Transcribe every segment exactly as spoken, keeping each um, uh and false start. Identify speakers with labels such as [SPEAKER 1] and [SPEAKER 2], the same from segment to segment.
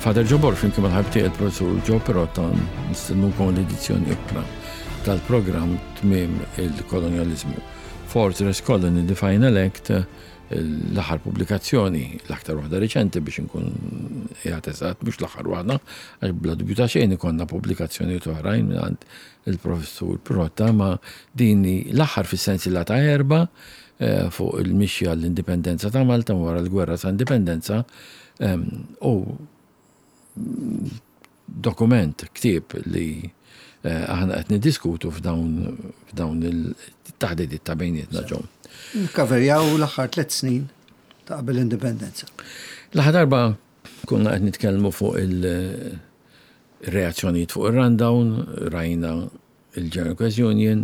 [SPEAKER 1] Father Joe Borg flimkien mal-ħabib tiegħi il-professur Joe Pirotta nistednukom l-edizzjoni oħra tal-programm Tmiem il-Kolonjaliżmu. Fortress Colony, The Final Act, l-aħħar pubblikazzjoni, l-aktar waħda riċenti biex nkun qiegħed eżatt, mhux l-aħħar waħda, għax bla dubju ta' xejn ikollna pubblikazzjonijiet oħrajn minn il-professur Pirotta, ma din l-aħħar fis-sensiela ta' erba' eh, fuq il-mixja l-indipendenza ta' Malta wara l-gwerra ta' indipendenza em, u dokument, ktieb li eh, aħna qed niddiskutu f'dawn f'dawn il-taħdidiet ta' bejnietna ġom.
[SPEAKER 2] Nkaverjaw l-aħħar tliet snin ta' qabel l-indipendenza.
[SPEAKER 1] L-aħħar darba konna qed nitkellmu fuq il-reazzjonijiet fuq ir-rundown, rajna il-General Workers Union,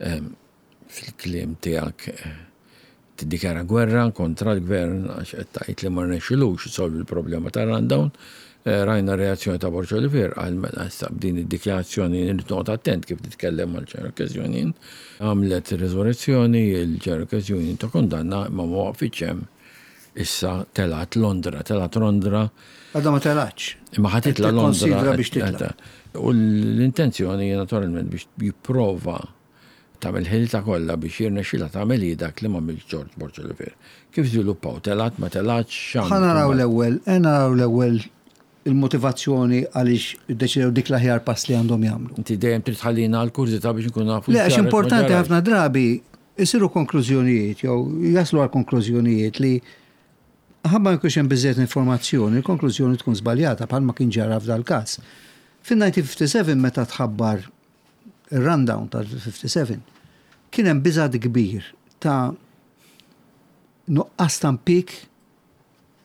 [SPEAKER 1] em, fil-kliem tiegħek eh, tiddikjara gwerra kontra l-gvern għax qed tgħid li ma rnexxilux isolvi l-problema tar-rundown. Eh, Rajna reazzjoni ta' Borg Olivier għal mela issa b'din id-dikjarazzjoni nrid noqgħod attent kif titkellem mal-General Workers Union. Għamlet riżurrezzjoni il-General Workers Union ta' kundanna ma ma waqfitx hemm. Issa telgħet Londra, telgħet Londra
[SPEAKER 2] Għadha ma telgħetx.
[SPEAKER 1] Imma ħa titla' Londra.
[SPEAKER 2] Tikkonsidra biex titla'.
[SPEAKER 1] U l-intenzjoni hija naturalment biex jipprova tagħmel ħilta kollha biex jirnexxilha tagħmel hi dak li m'għamilx George Borg Olivier. Kif żviluppaw? Telgħet, ma telgħetx, x'għamlu?
[SPEAKER 2] Ħa naraw l-ewwel, ħa naraw l-ewwel il-motivazzjoni għaliex iddeċidew dik l-aħjar pass li għandhom jagħmlu.
[SPEAKER 1] Inti dejjem trid tħallina għal-kurżità biex nkun nafu.
[SPEAKER 2] Le, għax
[SPEAKER 1] x'ġara, x'ma
[SPEAKER 2] importanti
[SPEAKER 1] ġarax.
[SPEAKER 2] ħafna drabi isiru konklużjonijiet jew jaslu għal konklużjonijiet li ħabba jkunx hemm biżejjed informazzjoni, il-konklużjoni tkun żbaljata bħalma kien ġara f'dal każ. Fin-elf disa' mija u sitta u ħamsin meta tħabbar ir-rundown tal-ħamsa u ħamsin kien hemm biża' kbir ta' nuqqas ta' impjieg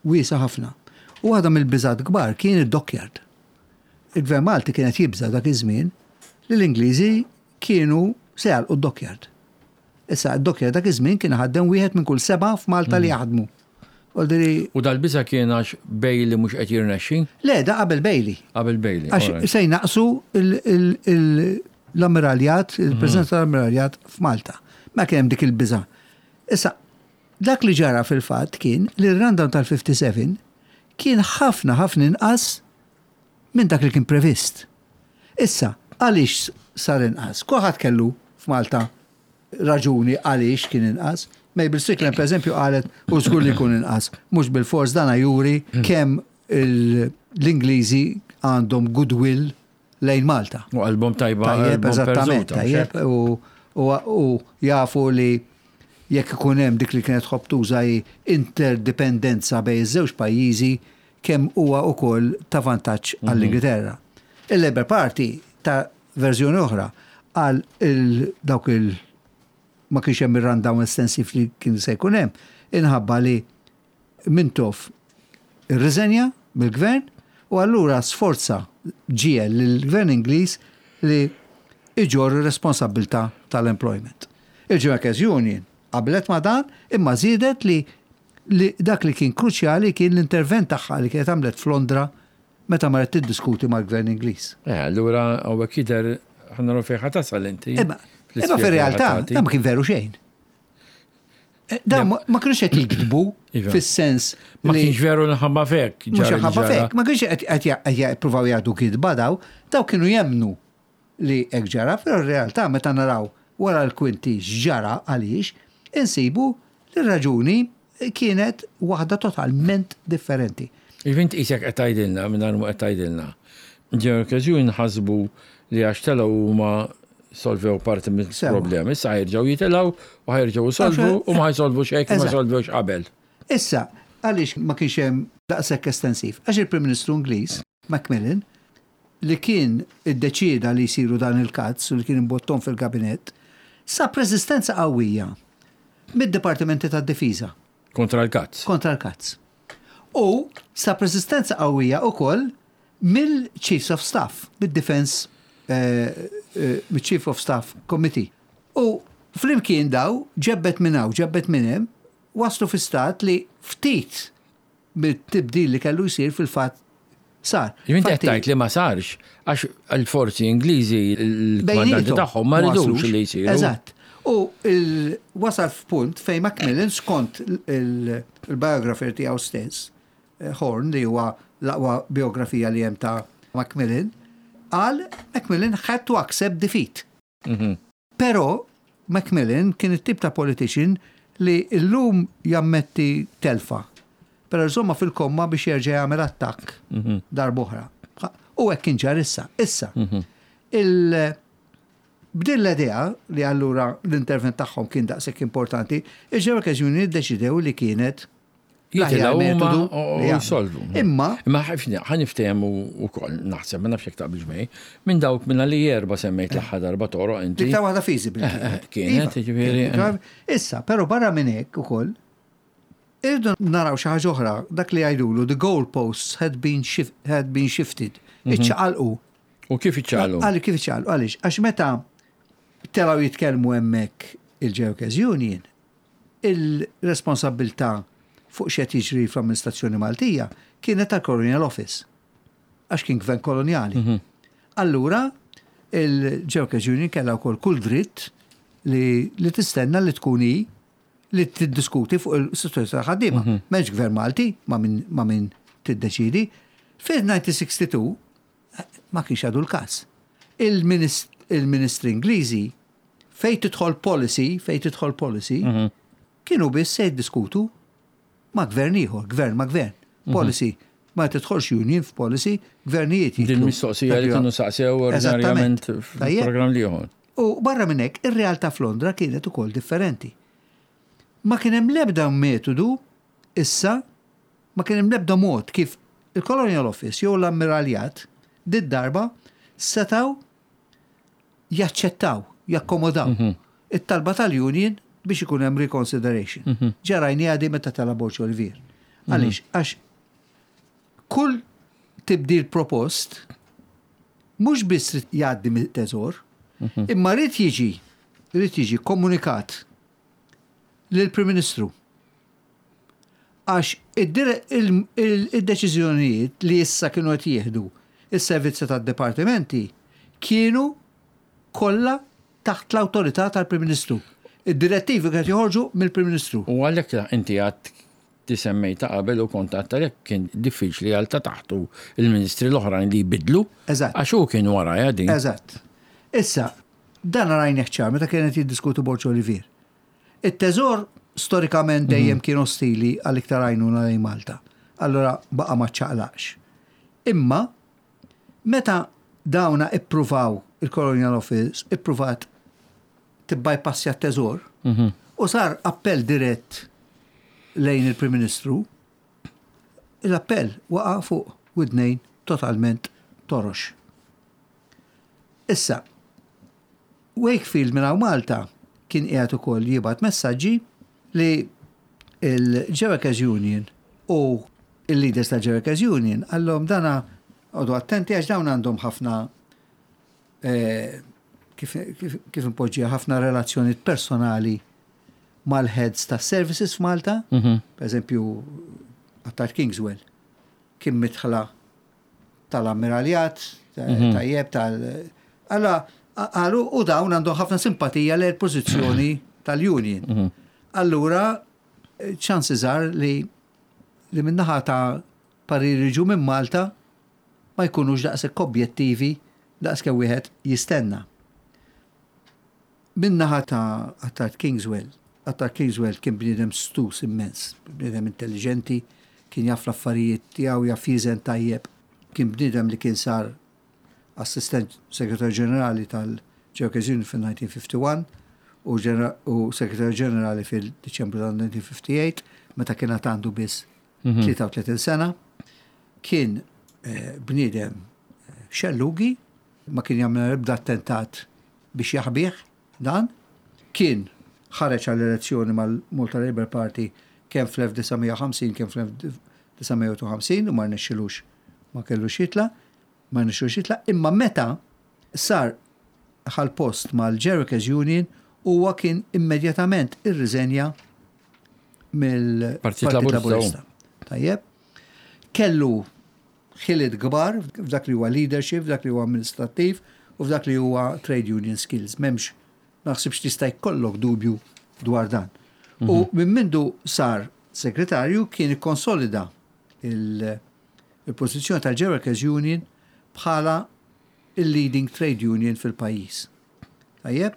[SPEAKER 2] wiesa' ħafna. U waħda mill-biżat kbar kien id-dockyard. Il-Gvern Malti kienet jibża dak iż-żmien li l-Ingliżi kienu se jagħlqu d-dockyard. Issa d-dockyard dak iż-żmien kien ħaddem wieħed minn kull seba' f'Malta li jaħdmu. Voldiri,
[SPEAKER 1] U dal-biża kien għax Bailey mhux qed jirnexxi
[SPEAKER 2] le, da qabel Bailey.
[SPEAKER 1] Qabel Bailey.
[SPEAKER 2] Għax
[SPEAKER 1] alright.
[SPEAKER 2] se jnaqsu il- il- il- l-ammiraljat, il-preżenza tal-ammiraljat f'Malta. Ma kien hemm dik il-biża. Issa, dak li ġara fil-fatt kien li r-rundown tal-ħamsa u ħamsin kien ħafna ħafna inqas minn dak li kien previst. Issa, għaliex sar inqas? Kulħadd kellu f'Malta raġuni għaliex kien inqas. Mabel Strickland, per eżempju, qalet u żgur li jkun inqas. Mhux bil-fors dana juri kemm il- l-Ingliżi għandhom goodwill lejn Malta.
[SPEAKER 1] U qalbhom tajba.
[SPEAKER 2] Tajjeb,
[SPEAKER 1] Qalbhom
[SPEAKER 2] eżattament,
[SPEAKER 1] perżuta,
[SPEAKER 2] tajjeb, u, u, u jafu li jekk ikun hemm dik li kienet tħobb tuża hi interdipendenza bejn iż-żewġ pajjiżi kemm huwa ukoll ta' vantaġġ għall-Ingilterra. Il-Labour Party ta' verżjoni oħra għal il dawk il ma kienx hemm ir-rundown estensiv li kien se jkun hemm, inħabba li Mintoff irriżenja mill-gvern u allura sforza ġiegħel lill-gvern Ingliż li iġorr responsabbiltà tal-employment. Il-Workers Union qablet ma dan imma żiedet li, li dak li kien kruċjali kien l-intervent tagħha li kienet għamlet f'Londra meta marret tiddiskuti mal-gvern Ingliż.
[SPEAKER 1] Eh, allura hawnhekk jidher ħa naraw fejn ħa tasal inti.
[SPEAKER 2] Imma imma fir-realtà dan ma kien veru xejn. Eh, Dan ma ma kienux qed jikdbu
[SPEAKER 1] Iva.
[SPEAKER 2] fis-sens
[SPEAKER 1] Ma
[SPEAKER 2] li
[SPEAKER 1] kienx veru nħabba fek.
[SPEAKER 2] mhux
[SPEAKER 1] ġara li
[SPEAKER 2] ħabba
[SPEAKER 1] ġara.
[SPEAKER 2] fek, ma kienx qed qed jippruvaw jgħidu kidba daw, daw kienu jemnu li hekk ġara, però r-realtà meta naraw wara l-kwinti x'ġara għaliex, insibu li r-raġuni kienet waħda totalment differenti.
[SPEAKER 1] Int qisek qed tgħidilna mingħajr ma qed tgħidilna. Ġew okkażjoni ħasbu li għax telgħu huma solvew parti mill-problemi. Issa ħa jerġgħu jitilgħu u ħa jerġgħu jsolvu u ma ħa jsolvu xejn ma
[SPEAKER 2] Eżatt.
[SPEAKER 1] solvewx qabel.
[SPEAKER 2] Issa, għaliex ma kienx hemm daqshekk estensiv? Għax il-Prim Ministru Ingliż, Macmillan, li kien iddeċieda li jsiru dan il-cuts u li kien imbottom fil-kabinett, sab reżistenza qawwija mid-Dipartimenti tad-Difiża
[SPEAKER 1] Kontra l-cuts.
[SPEAKER 2] Kontra l-cuts. U sab resistenza qawwija ukoll mill-Chiefs of Staff, mid-Defense, eh, eh, mill-Chief of Staff Committee. U flimkien daw, ġebbet minn hawn, ġebbet minn hemm, waslu fi stat li ftit mit-tibdil li kellu jsir fil-fatt sar.
[SPEAKER 1] Jien qed
[SPEAKER 2] Fatti-
[SPEAKER 1] tgħid li ma sarx għax l-forzi Ingliżi l-kmandanti
[SPEAKER 2] Bejniethom
[SPEAKER 1] tagħhom ma
[SPEAKER 2] waslux.
[SPEAKER 1] ridux li jsiru.
[SPEAKER 2] Eżatt. U il- wasal f'punt fejn Macmillan skont il- il-biographer tiegħu stess, Horne, li huwa l-aqwa biografija li hemm ta' Macmillan, qal Macmillan had to accept defeat.
[SPEAKER 1] Mhm.
[SPEAKER 2] Però Macmillan kien it-tip ta' politician li llum jammetti telfa. Però żommha fil-komma biex jerġa' jagħmel attakk
[SPEAKER 1] Mhm.
[SPEAKER 2] darb'oħra. U hekk kien ġar issa. Issa, il b'din l-idea li allura l-intervent tagħhom kien daqshekk importanti, il-Workers Union iddeċidew li kienet l-aħjar
[SPEAKER 1] Jitilgħu huma
[SPEAKER 2] metodu
[SPEAKER 1] u
[SPEAKER 2] li jagħmlu.
[SPEAKER 1] jisolvu.
[SPEAKER 2] Imma
[SPEAKER 1] Imma ħafna ħa niftehmu wkoll naħseb, ma nafx jekk taqbilx miegħi, minn dawk minna li erba semmejt l-aħħar darba toroq inti.
[SPEAKER 2] Dik ta' waħda feasible.
[SPEAKER 1] Eh, eh, kienet,
[SPEAKER 2] Iva,
[SPEAKER 1] jiġifieri,
[SPEAKER 2] kienet. Issa, però barra minn hekk ukoll, irridu naraw xi ħaġa oħra, dak li jgħidulu, the goalposts had been, shif had been shifted.
[SPEAKER 1] Mhm.
[SPEAKER 2] Iċċaqalqu.
[SPEAKER 1] U kif iċċaqalqu?
[SPEAKER 2] Għalli kif iċċaqalqu, għaliex, għax meta telgħu jitkellmu hemmhekk il-Workers Union, il-responsabbiltà fuq x'qed jiġri fl-amministrazzjoni Maltija kienet tal-Colonial Office. Għax kien gvern koloniali. Allura, il-Workers Union kellha wkoll kull dritt li, li tistenna li tkun hi li tiddiskuti fuq il-situazzjoni tal-ħaddiema. M'hemmx gvern Malti ma' min, ma' min tiddeċidi. Fil-elf disa' mija u sitta u sittin ma kienx għadu l-każ. Il-minist- Il-ministri Ingliżi fej tidħol policy, fej tidħol policy, kienu biss se jiddiskutu ma' gvern ieħor, gvern ma' gvern. Policy, ma tidħolx union f'policy, gvernijiet
[SPEAKER 1] Din
[SPEAKER 2] jidħlu.
[SPEAKER 1] mistoqsija li kienu saqsew ordinarjament
[SPEAKER 2] Eżattament. Tajjeb.
[SPEAKER 1] fil-programm l-ieħor.
[SPEAKER 2] U barra minn hekk, ir-realtà f'Londra kienet ukoll differenti. Ma kien hemm l-ebda metodu issa, ma kien hemm l-ebda mod kif il-Colonial Office jew l-Ammiraljat did darba setaw jaċċettaw, jakkomodaw it-talba tal-Union biex ikun hemm reconsideration. Ġarajni għadi meta tela' Borg Olivier. Għaliex, għax kull tibdil propost mhux biss rid jgħaddi mit-teżor, imma rrid jiġi rrid jiġi komunikat lill-Prim Ministru. Għax id-dire- il- il- id-deċiżjonijiet li issa kienu qed jieħdu is-servizzi tad-dipartimenti kienu kollha taħt l-awtorità tal-Prim Ministru. Id-direttivi kienu joħorġu mill-Prim Ministru.
[SPEAKER 1] U għalhekk inti għad tisemmej ta' qabel u kont għadt għalhekk kien diffiċli għal ta' taħtu il-ministri l-oħrajn li jbidlu.
[SPEAKER 2] Eżatt.
[SPEAKER 1] Għax hu kien wara din.
[SPEAKER 2] Eżatt. Issa, dan rajnieh ċar meta kienet jiddiskutu Borg Olivier. Il-teżor storikament dejjem kien ostili għal iktar għajnuna lejn Malta. Allora baqa ma ċaqlaqx. Imma meta dawna ippruvaw il-Colonial Office, ippruvat tibbypassja t-teżor u sar appell dirett lejn il-Prim Ministru, l-appell waqa fuq widnejn totalment torox. Issa, Wakefield minn hawn Malta kien qiegħed ukoll jibgħat messaġġi li il-Workers Union u il-leaders ta' Workers Union qallhom dana oqogħdu attenti għax dawn għandhom ħafna eh, kif, kif, kif impoġġija ħafna relazzjonijiet personali mal-heads ta' services f'Malta, per eżempju, Attard Kingswell, kien midħla tal-ammiraljat, tajjeb, tal... Allora, għalu, u dawn għandhom ħafna simpatija l pożizzjoni tal-union. Allura, chances are li li minnaħa ta' pariri ġu minn Malta ma jkunux daqshekk objettivi daqs kemm wieħed jistenna. Minnaħa ta' Attard Kingswell, Attard Kingswell kien bniedem stus immens, bniedem intelligenti, kien jaf l-affarijiet tiegħu, jaf jiżen tajjeb, kien bniedem li kien sar assistent segretarju ġenerali tal-Workers Union fil-elf disa' mija u wieħed u ħamsin u, ġenera- u segretarju ġenerali fil-Diċembru tal-elf disa' mija u ħamsa u disgħin, meta kien għad għandu biss tlieta u tletin sena, kien eh, bniedem eh, xellugi, ma kien jagħmel ebda attentat biex jaħbih dan, kien ħareġ għall-elezzjoni mal-Malta Labour Party kemm fl-elf disa' mija u ħamsin kemm fl-elf disa' mija u ħamsin u ma rnexxilux, ma kellux jitla, ma rnexxilux jitla, imma meta sar ħal post mal-Workers Union huwa kien immedjatament irriżenja mill-Partit
[SPEAKER 1] Partit Laburista.
[SPEAKER 2] Laburista. Tajjeb. Kellu ħiliet kbar f'dak li huwa leadership, f'dak li huwa amministrattiv u f'dak li huwa trade union skills. M'hemmx, naħsibx tista' jkollok dubju dwar dan. U minn mindu sar segretarju kien ikkonsolida il-pożizzjoni tal-Workers Union bħala il-leading trade union fil-pajjiż. Tajjeb?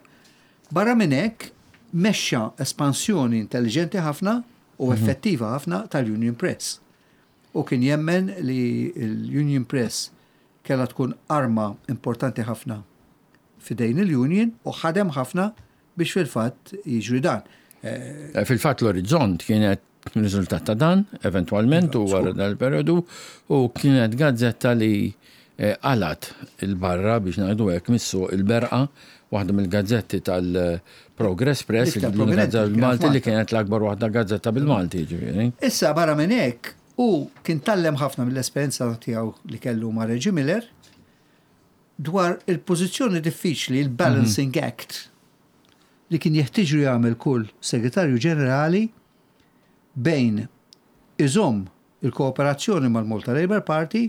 [SPEAKER 2] Barra minn hekk mexxa espansjoni intelligenti ħafna u mhm. effettiva ħafna tal-Union Press. U kien jemmen li l-Union Press kella tkun arma importanti ħafna f'idejn il-Union u ħadem ħafna biex fil-fatt jiġri dan.
[SPEAKER 1] Eh, fil-fatt l-Orizzont kienet riżultat ta' dan, eventualment, u wara dal-periodu, u kienet gazzetta li eh, qalgħet 'il barra biex ngħidu hekk missu il-berqa, waħda mill-gazzetti tal-Progress Press, il-gazzetta bil-Malti li kienet l-akbar waħda gazzetta bil-Malti, ġifieri.
[SPEAKER 2] Issa barra minn hekk, u kien tgħallem ħafna mill-esperjenza tiegħu li kellu ma' Reggie Miller dwar il-pożizzjoni diffiċli, il-balancing mhm. act, li kien jeħtieġu jagħmel kull segretarju ġenerali bejn iżomm il-kooperazzjoni mal-Malta Labour Party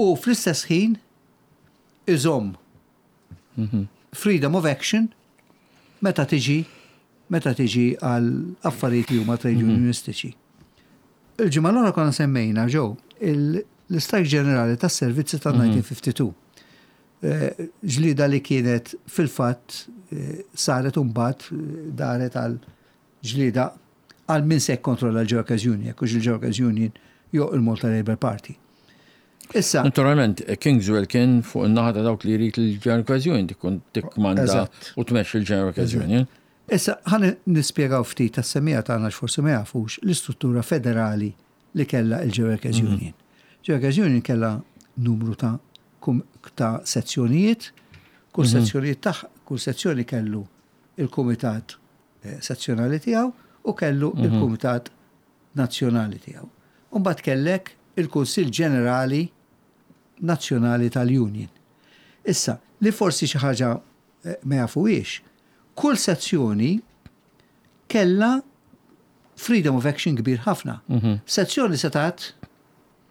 [SPEAKER 2] u fl-istess ħin iżomm mhm. freedom of action meta tiġi meta tiġi għal affarijiet li huma trade mhm. unionistiċi. Il-ġimgħa l-oħra konna semmejna ġew l-istrajk ġenerali tas-servizzi tal-elf disa' mija u tlieta u ħamsin. Eh, ġlida li kienet fil-fatt eh, saret mbagħad eh, daret għal ġlida għal min se kontrolla l-Workers Union, jekk il-Workers Union jew il-Malta Labour Party.
[SPEAKER 1] Issa. Naturalment, Kingswell kien fuq in-naħa ta' dawk li jrid il-General Union tkun tikkmanda u tmexxi il-General Union.
[SPEAKER 2] Issa, ħa nispjegaw ftit tas-semmiegħa tagħna, forsi ma jafux l-istruttura federali li kella il-Workers mhm. Union. Workers Union kella numru ta' ta' sezzjonijiet, kull mhm. sezzjonijiet taħ, kull sezzjoni kellu il-kumitat eh, sezzjonali tiegħu u kellu mhm. il-kumitat nazzjonali tiegħu. Umbagħad kellek il-Kunsill Ġenerali Nazzjonali tal-Union. Issa, li forsi xi ħaġa eh, ma jafuhiex, kull sezzjoni kella freedom of action kbir ħafna. Mm -hmm. Sezzjoni setat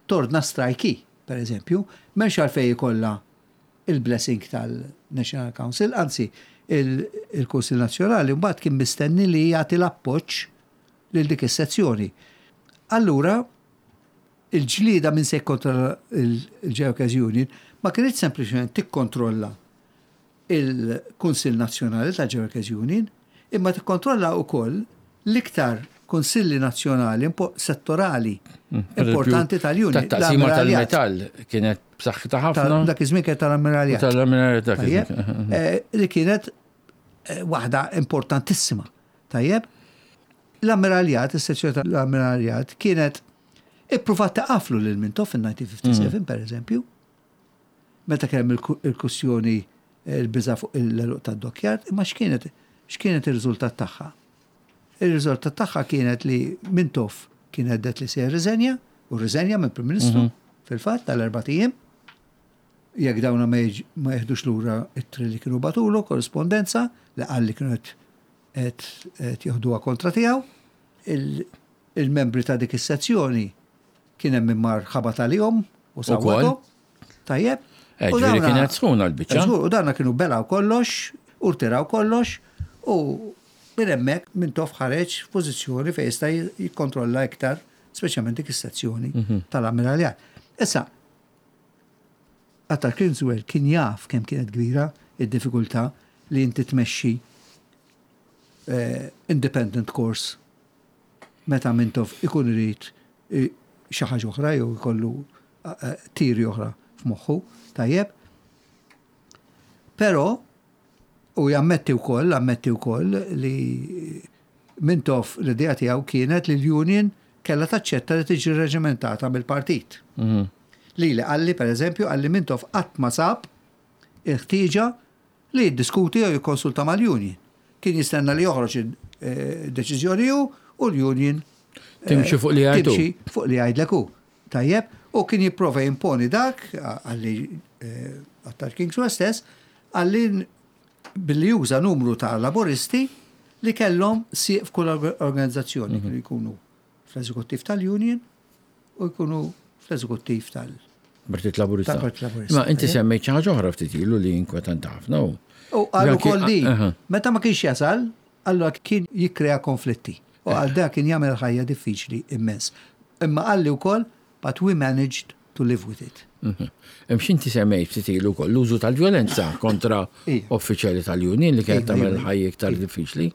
[SPEAKER 2] tordna strajki, per eżempju, m'hemmx għalfejn ikollha il-blessing tal-National Council, anzi, il-Kunsil Nazzjonali mbagħad kien mistenni li jagħti l-appoġġ lil dik is-sezzjoni. Allura, il-ġlida minn se kontra il-Workers Union ma kienx sempliċement tikkontrolla il-Kunsill Nazzjonali tal-Workers Union, imma tikkontrolla wkoll l-iktar kunsilli nazzjonali settorali mm, importanti tal-Union.
[SPEAKER 1] Taqsima tal-metall kienet b'saħħitha ħafna.
[SPEAKER 2] Dak iż-żmien kienet tal-ammiraljat.
[SPEAKER 1] Tal-ammiraljat dak.
[SPEAKER 2] Eh, li kienet eh, waħda importantissima. Tajjeb, l-ammiraljat, is-sezzjoni tal-ammiraljat kienet ippruvat taqaflu lil Mintoff fil-elf disa' mija u ħamsa u sebgħin mm. per eżempju, meta kemm il-kwistjoni il-biża fuq l-għeluq tad-dockyard, imma x'kienet x'kienet ir-riżultat tagħha? Ir-riżultat tagħha kienet li Mintoff kien hedded li se jirriżenja, u rriżenja minn Prim Ministru mhm. fil-fatt tal-erbat ijiem, jekk dawna ma jeħdux lura ittri li kienu bagħtulu, korrispondenza li qal li kienu qed jeħduha kontra tiegħu. Il-membri ta' dik is-sezzjoni kien hemm mar ħabat għalihom u sawwatu. Tajjeb.
[SPEAKER 1] Eh, ġifieri kienet sħuna l-biċċa.
[SPEAKER 2] U dawna kienu belgħu kollox, u rtiraw kollox, u minn hemmhekk Mintoff ħareġ f'pożizzjoni fejn jista' jikkontrolla iktar, speċjalment dik is-sezzjoni mhm. tal-ammiraljat. Issa, Attard Kingswell kien jaf kemm kienet kbira id-diffikultà li inti tmexxi eh, independent course meta Mintoff ikun irid eh, xi ħaġa oħra jew ikollu eh, tiri oħra f'moħħu, tajjeb. Però u jammetti wkoll, ammetti wkoll li Mintoff l-idea tiegħu kienet li l-union kellha taċċetta li tiġi reġimentata mill-partit. Mhm. Li li qalli, per eżempju, qalli Mintoff qatt ma sab il-ħtieġa li jiddiskuti jew jikkonsulta mal-union. Kien jistenna li joħroġ id-deċiżjoni hu u l-union
[SPEAKER 1] timxi fuq li jgħidu.
[SPEAKER 2] Timxi fuq li jgħidlek hu. Tajjeb, u kien jipprova jimponi dak, qalli Attard Kingswell stess, qalli billi juża numru ta' laboristi li kellhom sieq f'kull organizzazzjoni, kienu jkunu fl-eżekuttiv tal-union u jkunu fl-eżekuttiv tal-
[SPEAKER 1] Partit Laburista.
[SPEAKER 2] Tal-Partit Laburista.
[SPEAKER 1] Ma inti semmejt xi ħaġa oħra ftit ilu li inkwetanti ħafna u.
[SPEAKER 2] U għal ukoll di,
[SPEAKER 1] Aha.
[SPEAKER 2] meta ma kienx jasal, allura kien jikkrea konflitti. U għal da kien jagħmel ħajja diffiċli immens. Imma qalli wkoll But we managed to live with it.
[SPEAKER 1] Mhm. Hemm x'inti semmejt ftit ilu wkoll l-użu tal-vjolenza kontra
[SPEAKER 2] Ija.
[SPEAKER 1] uffiċjali tal-union li kienet
[SPEAKER 2] Ija,
[SPEAKER 1] tagħmel
[SPEAKER 2] ija.
[SPEAKER 1] il-ħajja iktar diffiċli.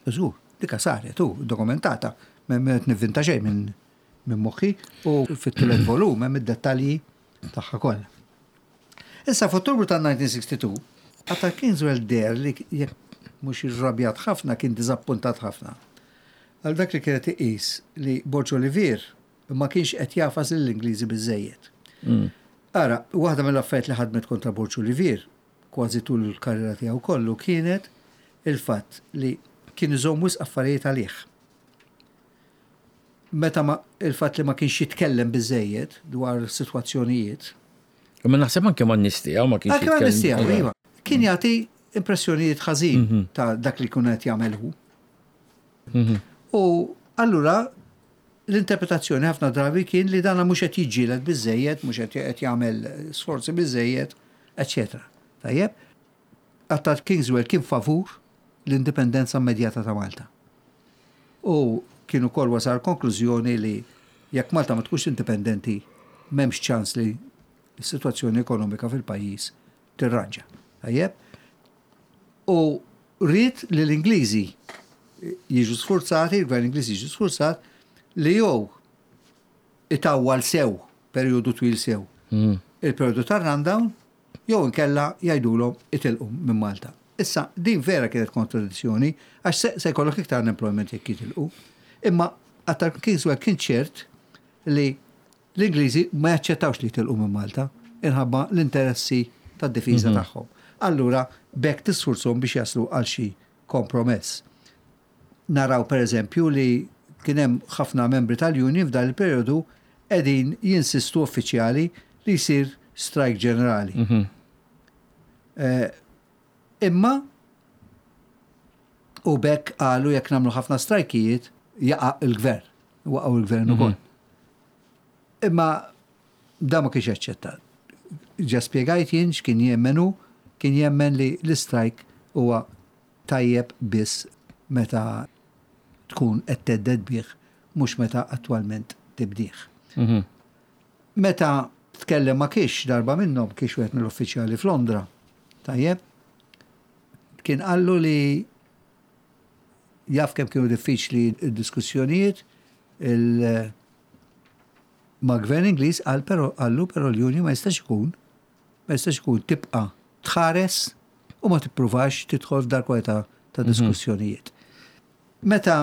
[SPEAKER 2] Żgur, dika saret, u dokumentata, ma nivvinta xejn minn minn moħħi u fit-tielet volum hemm id-dettalji tagħha kollha. Issa f'Ottubru tal-elf disa' mija u sitta u sittin, Attard Kingswell deher li jekk mhux irrabjat ħafna, kien diżappuntat ħafna. Għal dak li kienet iqis li Borg Olivier ma kienx qed jagħfas lill-Ingliżi biżejjed.
[SPEAKER 1] Mm.
[SPEAKER 2] Ara, waħda mill-affarijiet li ħadmet kontra Borg Olivier kważi tul il-karriera tiegħu kollu kienet il-fatt li kien iżomm wisq affarijiet għalih. Meta ma il-fatt li ma kienx jitkellem biżejjed dwar sitwazzjonijiet.
[SPEAKER 1] Imma naħseb anke ma nies tiegħu ma kienx
[SPEAKER 2] Anke ma
[SPEAKER 1] jitkellem.
[SPEAKER 2] nies tiegħu, iva. Kien jagħti impressjonijiet ħażin ta' dak li kun qed jagħmel hu.
[SPEAKER 1] Mhm.
[SPEAKER 2] U allura l-interpretazzjoni ħafna drabi kien li dana mhux qed jiġġieled biżejjed, mhux qed qed jagħmel sforzi biżejjed, eċċetera. Tajjeb, Attard Kingswell kien favur l-indipendenza immedjata ta' Malta. U kien ukoll wasal konklużjoni li jekk Malta ma tkunx indipendenti, m'hemmx ċans li s-sitwazzjoni ekonomika fil-pajjiż tirranġa. Tajjeb? U ried li l-Ingliżi jiġu sforzati, il-gvern Ingliż jiġu sforzat li jew itawwal sew, periodu twil sew,
[SPEAKER 1] Mm.
[SPEAKER 2] il-periodu tar-rundown, jew inkella jgħidulhom itilqu minn Malta. Issa, din vera kienet kontradizzjoni, għax se, se jkollok iktar unemployment jekk jitilqu. Imma Attard Kingswell kien ċert li l-Ingliżi ma jaċċettawx li jitilqu minn Malta inħabba l-interessi tad-difiża tagħhom. Allura, bekk tisfurzhom biex jaslu għal xi kompromess. Naraw per eżempju li kien hemm ħafna membri tal-union f'dan il-periodu qegħdin jinsistu uffiċjali li jsir strike ġenerali.
[SPEAKER 1] Mhm.
[SPEAKER 2] Eh, Imma u bekk qalu jekk nagħmlu ħafna strajkijiet jaqa' il-gvern, waqgħu il-gvern ukoll. Imma da ma kienx aċċettat. Ġa spjegajt jien x'kien jemmenu, kien jemmen li l-strike huwa tajjeb biss meta tkun qed thedded bih, mhux meta attwalment tibdih.
[SPEAKER 1] Mhm.
[SPEAKER 2] Meta tkellem ma kiex darba minnhom, kiex wieħed mill-uffiċjali f'Londra, tajjeb, kien qallu li jaf kemm kienu diffiċli d-diskussjonijiet il ma' gvern Ingliż, qal però qallu però l-union ma jistax ikun ma jistax ikun tibqa' tħares u ma tippruvax tidħol f'dar kwalità ta' diskussjonijiet. Meta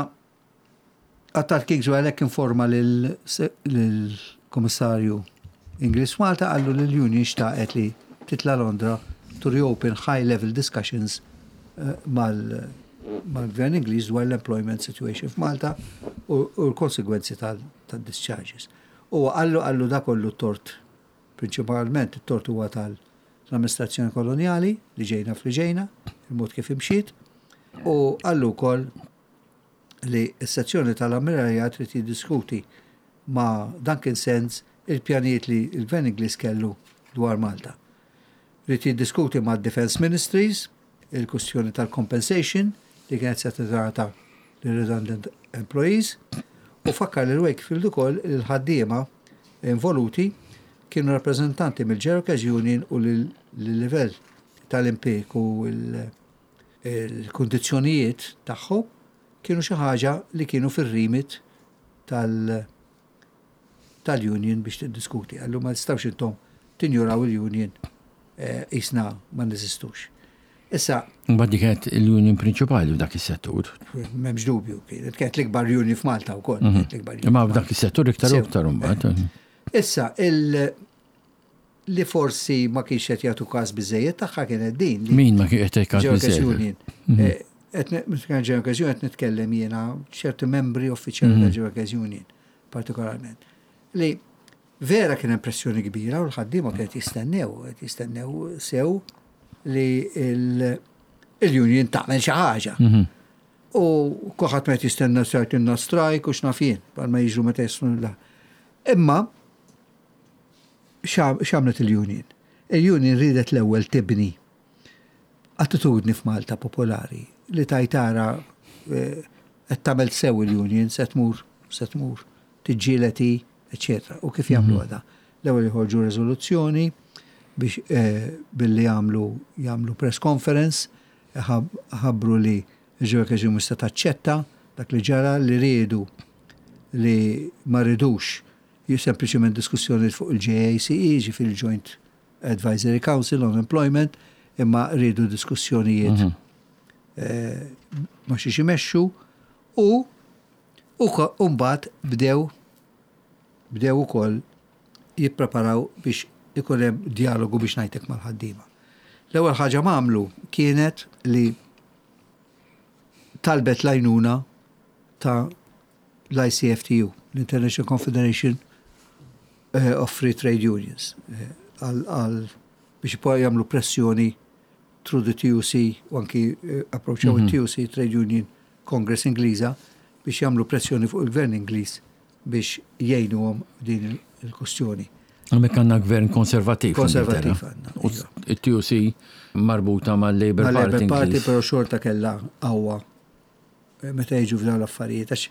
[SPEAKER 2] Attard Kingswell għalhekk informa lill-Komissarju Ingliż Malta, qallu li l-union xtaqet li titla Londra to reopen high level discussions eh, mal mal-gvern Ingliż dwar l-employment situation f'Malta u u l-konsegwenzi tal-discharges. U qallu qallu da kollu tort, prinċipalment it-tort huwa tal-amministrazzjoni koloniali li ġejna fli ġejna, il-mod kif imxiet, u qallu wkoll li s-sezzjoni tal-ammiralja trid jiddiskuti ma' Duncan Sandys il-pjanijiet li il-gvern Ingliż kellu dwar Malta. Ried jiddiskuti ma' Defense Ministries il-kwestjoni tal-compensation li kienet se tingħata redundant employees u fakkar lil Wakefield ukoll li l-ħaddiema involuti kienu rappreżentanti mill-General Workers Union u l-livell tal-impjieg u l-kundizzjonijiet tagħhom kienu xi ħaġa li kienu fir-remit tal- tal-union biex tiddiskuti. Qallu ma tistgħux intom tinjuraw il-union eh, jisna ma neżistux. Issa,
[SPEAKER 1] Mbagħad dik kienet il-union prinċipali f'dak is-settur.
[SPEAKER 2] M'hemmx dubju, kienet kienet l-ikbar union f'Malta wkoll. Kienet l-ikbar union
[SPEAKER 1] Imma
[SPEAKER 2] f'Malta.
[SPEAKER 1] f'dak is-settur iktar u
[SPEAKER 2] Sew.
[SPEAKER 1] iktar imbagħad.
[SPEAKER 2] Issa, il li forsi ma kienx qed jagħtu każ biżejjed tagħha kienet din li
[SPEAKER 1] Min ma kien qed jgħid
[SPEAKER 2] General Workers
[SPEAKER 1] biżejjed?
[SPEAKER 2] Union. Eh, qed ne- meta kien General Workers Union qed nitkellem jiena ċerti membri uffiċjali ta' General Workers Union partikolarment. Li vera kien impressjoni kbira u l-ħaddiema kienet jistennew, qed jistennew sew li il- il-union tagħmel xi ħaġa. U kulħadd meta jistenna sartinna strike u x'naf jien, bħalma jiġru meta jisnu la. Imma x'għamlet il-union? Il-union ridet l-ewwel tibni attitudni f'Malta popolari li tajtara eh, qed tagħmel sew il-union, se tmur se tmur tiġġieled, eccetera. U kif jagħmlu għada? L-ewwel jħorġu riżoluzzjoni biex eh, billi jagħmlu jagħmlu press conference, ħab- ħabbru li l-Workers Union mhux se taċċetta dak li ġara, li riedu li ma ridux sempliċement diskussjoni fuq il-J A C E, ġifieri il-Joint Advisory Council on Employment, imma rridu diskussjonijiet
[SPEAKER 1] Mhm.
[SPEAKER 2] eh, ma xiex imexxu u u ko- u mbagħad bdew bdew ukoll jippreparaw biex ikun hemm dialogu, biex ngħidlek, mal-ħaddiema. L-ewwel ħaġa m'għamlu kienet li talbet l-għajnuna ta' l-I C F T U, l-International Confederation eh, of Free Trade Unions, eh, għal għal biex poi jagħmlu pressjoni through the T U C u anki eh, approachaw mm -hmm. il-T U C, Trade Union Congress Ingliża, biex jagħmlu pressjoni fuq il-gvern Ingliż biex jgħinuhom din il-kustjoni.
[SPEAKER 1] Hemmhekk għandna gvern konservativ.
[SPEAKER 2] Konservativ għandna.
[SPEAKER 1] U il-T U C marbuta mal-Labour
[SPEAKER 2] Ma
[SPEAKER 1] Party
[SPEAKER 2] Labour Party,
[SPEAKER 1] Ingliż.
[SPEAKER 2] Però xorta kella qawwa eh, meta jiġu f'dawn l-affarijiet. Għax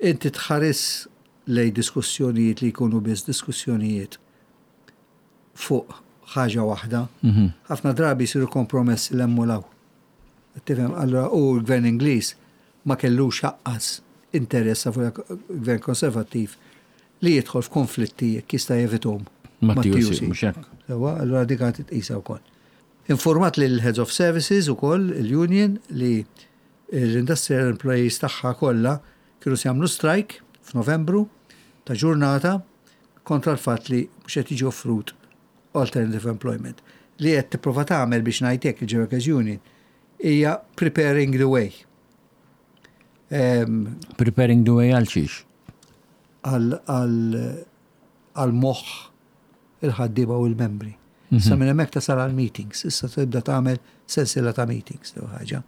[SPEAKER 2] inti tħares lej diskussjonijiet li jkunu biss diskussjonijiet fuq ħaġa waħda,
[SPEAKER 1] Mhm.
[SPEAKER 2] ħafna drabi jsiru kompromessi l-emmulaw. Tifhem, allora u l-gvern Ingliż ma kellux lanqas interess fuq il-gvern konservattiv li jidħol f'konflitti jekk jista' jevitahom
[SPEAKER 1] Ma'
[SPEAKER 2] ma'
[SPEAKER 1] T U C, mhux hekk.
[SPEAKER 2] Sewa, allora dik għad titqisa wkoll. Informat lil Heads of Services ukoll il-Union li l-industrial employees tagħha kollha kienu se jagħmlu strike f'Novembru ta' ġurnata kontra l-fatt li mhux qed jiġi offrut alternative employment. Li qed tipprova tagħmel, biex ngħidlek, il-Workers Union hija preparing the way. Em,
[SPEAKER 1] Preparing the way għal xiex?
[SPEAKER 2] għal għal moħħ il-ħaddiema u l-membri. Issa minn hemmhekk tasal għal meetings, issa tibda tagħmel sensiela ta' meetings jew ħaġa.